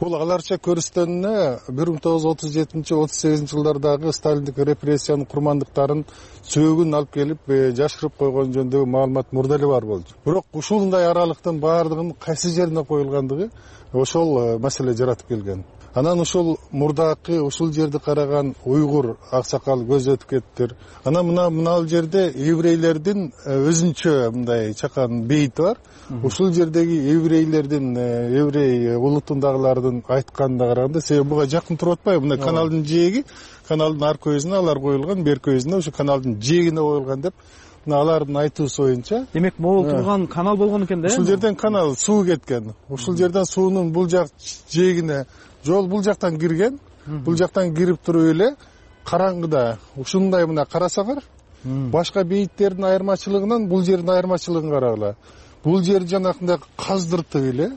Бул аларча көрүстөнүнө 1937-38 жылдардагы сталиндик репрессиянын курмандыктарын сөөгүн алып келип жашырып койгон жөнүндөгү маалымат мурда эле бар болчу. Бирок ушундай аралыктын баардыгынын кайсы жерине коюлгандыгы ошол маселе жаратып келген. Анан ушул мурдакы ушул жерди караган уйгур аксакал көз өтүп кетиптир. Анан мына жерде еврейлердин өзүнчө мындай чакан бейити бар. Ушул жердеги еврейлердин, еврей улутундагылардын айтканына караганда, себеби буга жакын туруп атпайбы? Мына каналдын жээги, каналдын ар көзүнө алар коюлган, бер көзүнө ушу каналдын жээгине коюлган деп алардын айтуусу боюнча. Демек, могул турган канал болгон экен да? Ушул жерден канал суу кеткен. Ушул жерден суунун бул жак жээгине жол бул жактан кирген. Бул жактан кирип туруп эле караңгыда ушундай мына карасаңар, башка бейиттердин айырмачылыгынан бул жердин айырмачылыгын карагыла. Бул жер жанакындай каздыртып эле,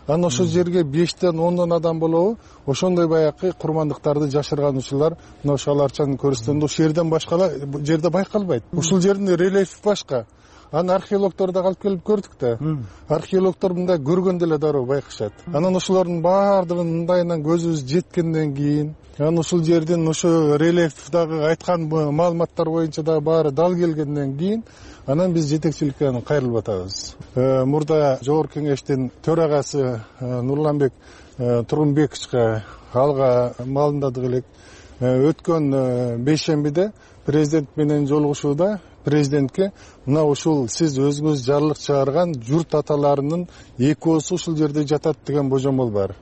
анан ошол жерге 5-тен 10 адам болобу, ошондой баякы курмандыктарды жашырган ушулар мына ошол аларчанын көрүстөнүндө ушул жерден башка жерде байкалбайт. Ушул жердин рельефи башка. Аны археологдор да алып келип көрдүк да. Археологдор мындай көргөндө эле дароо байкашат. Анан ошолордун баардыгын мындайынан көзүбүз жеткенден кийин, анан ушул жердин ошо рельефдагы айткан маалыматтар боюнча да баары дал келгенден кийин, анан биз жетекчиликке кайрылып атабыз. Мурда Жогорку Кеңештин төрагасы Нурланбек Тургунбековичке алга маалымдадык элек. Өткөн бейшембиде президент менен жолугушууда президентке мына ушул сиз өзүңүз жарлык чыгарган журт аталарынын экөөсү ушул жерде жатат деген божомол бар.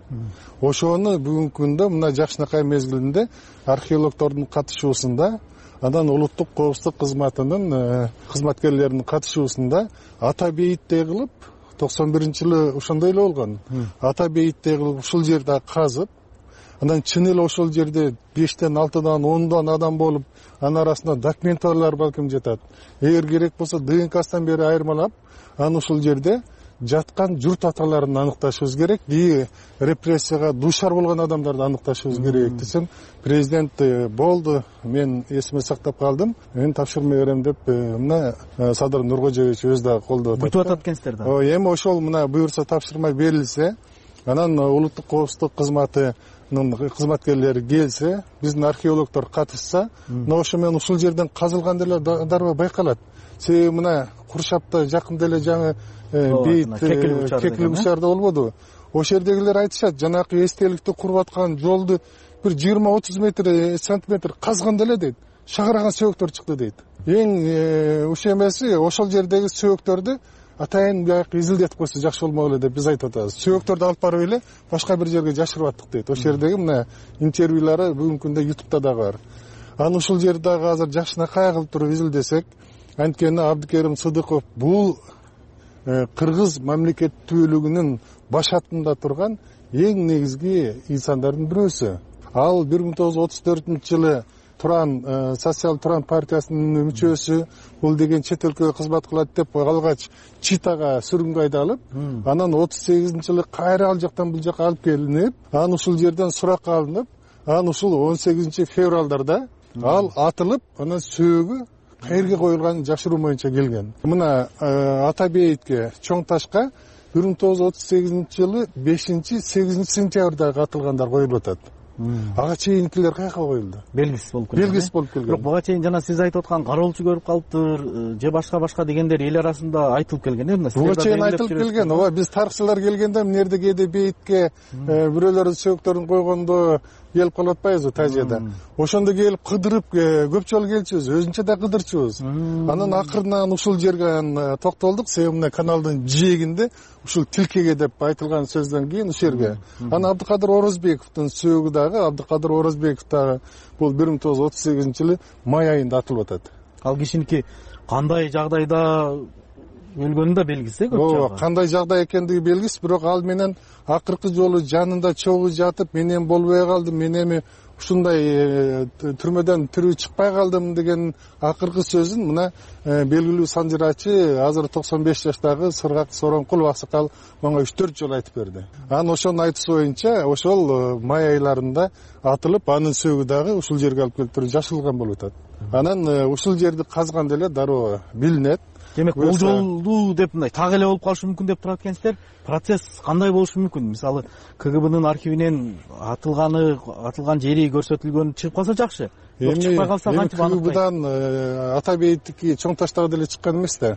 Ошону бүгүнкү күндө мына жакшынакай мезгилинде археологдордун катышуусунда, анан улуттук коопсуздук кызматынын кызматкерлеринин катышуусунда ата бейиттей кылып 91-жылы ошондой эле болгон. Ата бейиттей кылып ушул жерде казып, анан чын эле ошол жерде 5тен 6дан 10дан адам болуп, анын арасында документалар балким жатат. Эгер керек болсо ДНК-сынан бери айырмалап, анан ушул жерде жаткан журт аталарын аныкташыбыз керек, репрессияга дуушар болгон адамдарды аныкташыбыз керек десем, президент болду, мен эсиме сактап калдым, мен тапшырма берем деп мына Садыр Нуркожоевич өзү дагы колдоп атат. Бүтүп атат экенсиздер да. Эми ошол мына буюрса тапшырма берилсе, анан улуттук коопсуздук кызматынын кызматкерлери келсе, биздин археологдор катышса, мына ошо менен ушул жерден казылган деле дароо байкалат. Себеби мына Куршапта жакында эле жаңы бейит Кекил Бучарда болбоду. Ошол жердегилер айтышат, жанакы эстеликти куруп аткан жолду бир 20-30 сантиметр казган деле дейт. Шагараган сөөктөр чыкты дейт. Эң уш эмеси ошол жердеги сөөктөрдү атайын бияк изилдетип койсо жакшы болмок эле деп биз айтып атабыз. Сөөктөрдү алып барып эле башка бир жерге жашырып аттык дейт. Ошол жердеги мына интервьюлары бүгүнкү күндө YouTube'да дагы бар. Анан ушул жерде дагы азыр жакшынакай кылып туруп изилдесек, анткени Абдыкерим Сыдыков бул кыргыз мамлекеттүүлүгүнүн башатында турган эң негизги инсандардын бирөөсү. Ал 1934-жылы Туран социал Туран партиясынын мүчөсү, бул деген чет өлкөгө кызмат кылат деп алгач Читага сүргүнгө айдалып, анан 38-жылы кайра ал жактан бул жакка алып келинип, анан ушул жерден суракка алынып, анан ушул 18-февралдарда ал атылып, анан сөөгү каерге коюлганын жашыруу боюнча келген. Мына ата бейитке чоң ташка 1938-жылы 5-8 сентябрда атылгандар коюлуп атат. Ага чейинкилер каяка коюлду? Белгисиз болуп келген. Белгисиз болуп келген. Бирок буга чейин жана сиз айтып аткан кароолчу көрүп калыптыр, же башка дегендер эл арасында айтылып келген э? Буга чейин айтылып келген. Ооба, биз тарыхчылар келгенде эмнерде кээде бейитке бирөөлөрдүн сөөктөрүн койгондо келип калып атпайбызбы Тажияда. Ошондо келип кыдырып көп жолу келчүбүз, өзүнчө да кыдырчубуз. Анан акырынан ушул жерге токтолдук, себеби мына каналдын жээгинде ушул Тилкеге деп айтылган сөздөн кийин ушул жерге. Анан Абдыкадыр Орозбековдун сөөгү дагы, Абдыкадыр Орозбеков дагы бул 1938-жылы май айында атылып атат. Ал кишиники кандай жагдайда өлгөнү да белгисиз э? Ооба, кандай жагдай экендиги белгисиз, бирок ал менен акыркы жолу жанында чогуу жатып, мен эми болбой калдым, мен эми ушундай түрмөдөн тирүү чыкпай калдым деген акыркы сөзүн мына белгилүү санжырачы, азыр 95 жаштагы Сыргак Сороңкулов аксакал мага 3-4 жолу айтып берди. Анан ошонун айтуусу боюнча ошол май айларында атылып, анын сөөгү дагы ушул жерге алып келип туруп жашырылган болуп атат. Анан ушул жерди казган деле дароо билинет. Демек, болжолдуу деп мындай так эле болуп калышы мүмкүн деп турат экенсиздер. Процесс кандай болушу мүмкүн? Мисалы, КГБнын архивинен атылган жери көрсөтүлгөнү чыгып калса жакшы. Чыкпай калса кантип аныктайт? КГБдан ата бейиттики чоң таштагы деле чыккан эмес да.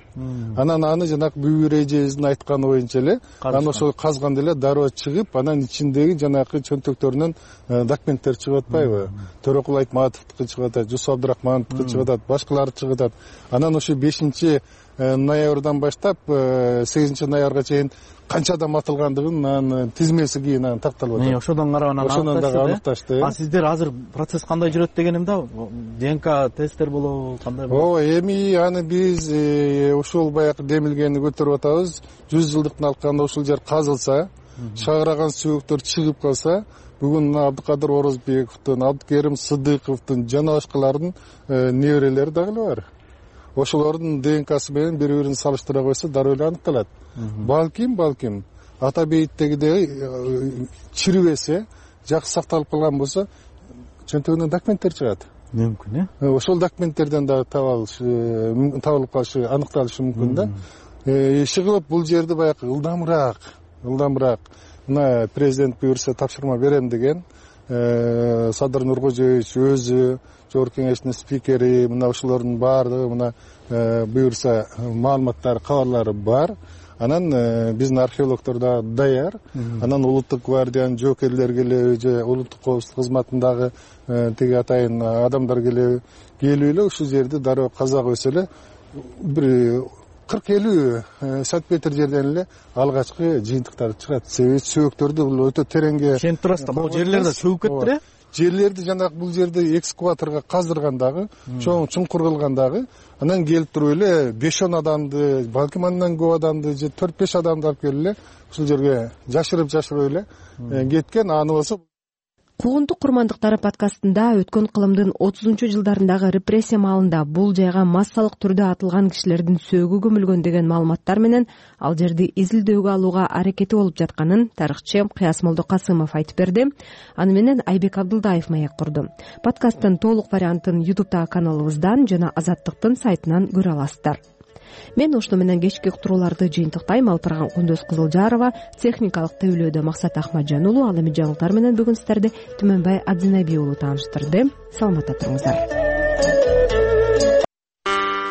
Анан аны жанагы Бүбүр эжебиздин айтканы боюнча эле, анан ошол казган деле дароо чыгып, анан ичиндеги жанагы чөнтөктөрүнөн документтер чыгып атпайбы? Төрөкул Айтматовдуку чыгып атат, Жусуп Абдырахмановдуку чыгып атат, башкалары чыгып атат. Анан ошо 5-ноябрдан баштап 8-ноябрга чейин канча адам атылгандыгын тизмеси кийин такталып атат. Ошодон карап ошондон дагы аныкташты. А сиздер азыр процесс кандай жүрөт дегеним да, ДНК тесттер болобу, кандай болот? Ооба, эми аны биз ушул баягы демилгени көтөрүп атабыз. 100 жылдыктын алканда ушул жер казылса, шагыраган сөөктөр чыгып калса, бүгүн Абдыкадыр Орозбековдун, Абдыкерим Сыдыковдун жана башкалардын неберелери дагы эле бар. Ошолордун ДНКсы менен бири-бирин салыштыра койсо дароо эле аныкталат. Балким ата бейиттегидей чирибесе, жакшы сакталып калган болсо, чөнтөгүнөн документтер чыгат. Мүмкүн, Ошол документтерден дагы табылып калышы, аныкталышы мүмкүн да. Иши кылып бул жерди баягы ылдамыраак мына президент буюрса тапшырма берем деген Садыр Нуркожоевич өзү, жогорку кеңештин спикери, мына ушулордун баардыгы мына буюрса маалыматтары, кабарлары бар. Анан биздин археологдор да даяр. Анан улуттук гвардиянын жоокерлери келеби же улуттук коопсуздук кызматындагы тиги атайын адамдар келип эле ушул жерди дароо казак өсө эле бир 40-50 сантиметр жерден эле алгачкы жыйынтыктар чыгат. Себеби сөөктөрдү бул өтө тереңге ишенип турасыздар. Бул жерлерде сөөк кетти э? Жерлерди жанагы бул жерде экскаваторго каздыргандагы, чоң чуңкур кылгандагы, анан келип туруп эле 5-10 адамды, балким андан көп адамды же 4-5 адамды алып келип эле ушул жерге жашырып эле кеткен. Аны болсо Куугунтук курмандыктары подкастында өткөн кылымдын 30-жылдарындагы репрессия маалында бул жайга массалык түрдө атылган кишилердин сөөгү көмүлгөн деген маалыматтар менен ал жерди изилдөөгө алууга аракети болуп жатканын тарыхчы Кыясмолдо Касымов айтып берди. Аны менен Айбек Абдылдаев маек курду. Подкасттын толук вариантын YouTube'дагы каналыбыздан жана Азаттыктын сайтынан көрө аласыздар. Мен ушуну менен кечки уктурууларды жыйынтыктайм. Алып барган Кундуз Кызылжарова, техникалык тейлөөдө Максат Ахмаджан уулу. Ал эми жаңылыктар менен бүгүн сиздерди Түмөнбай Адзинайби уулу тааныштырды. Саламатта туруңуздар.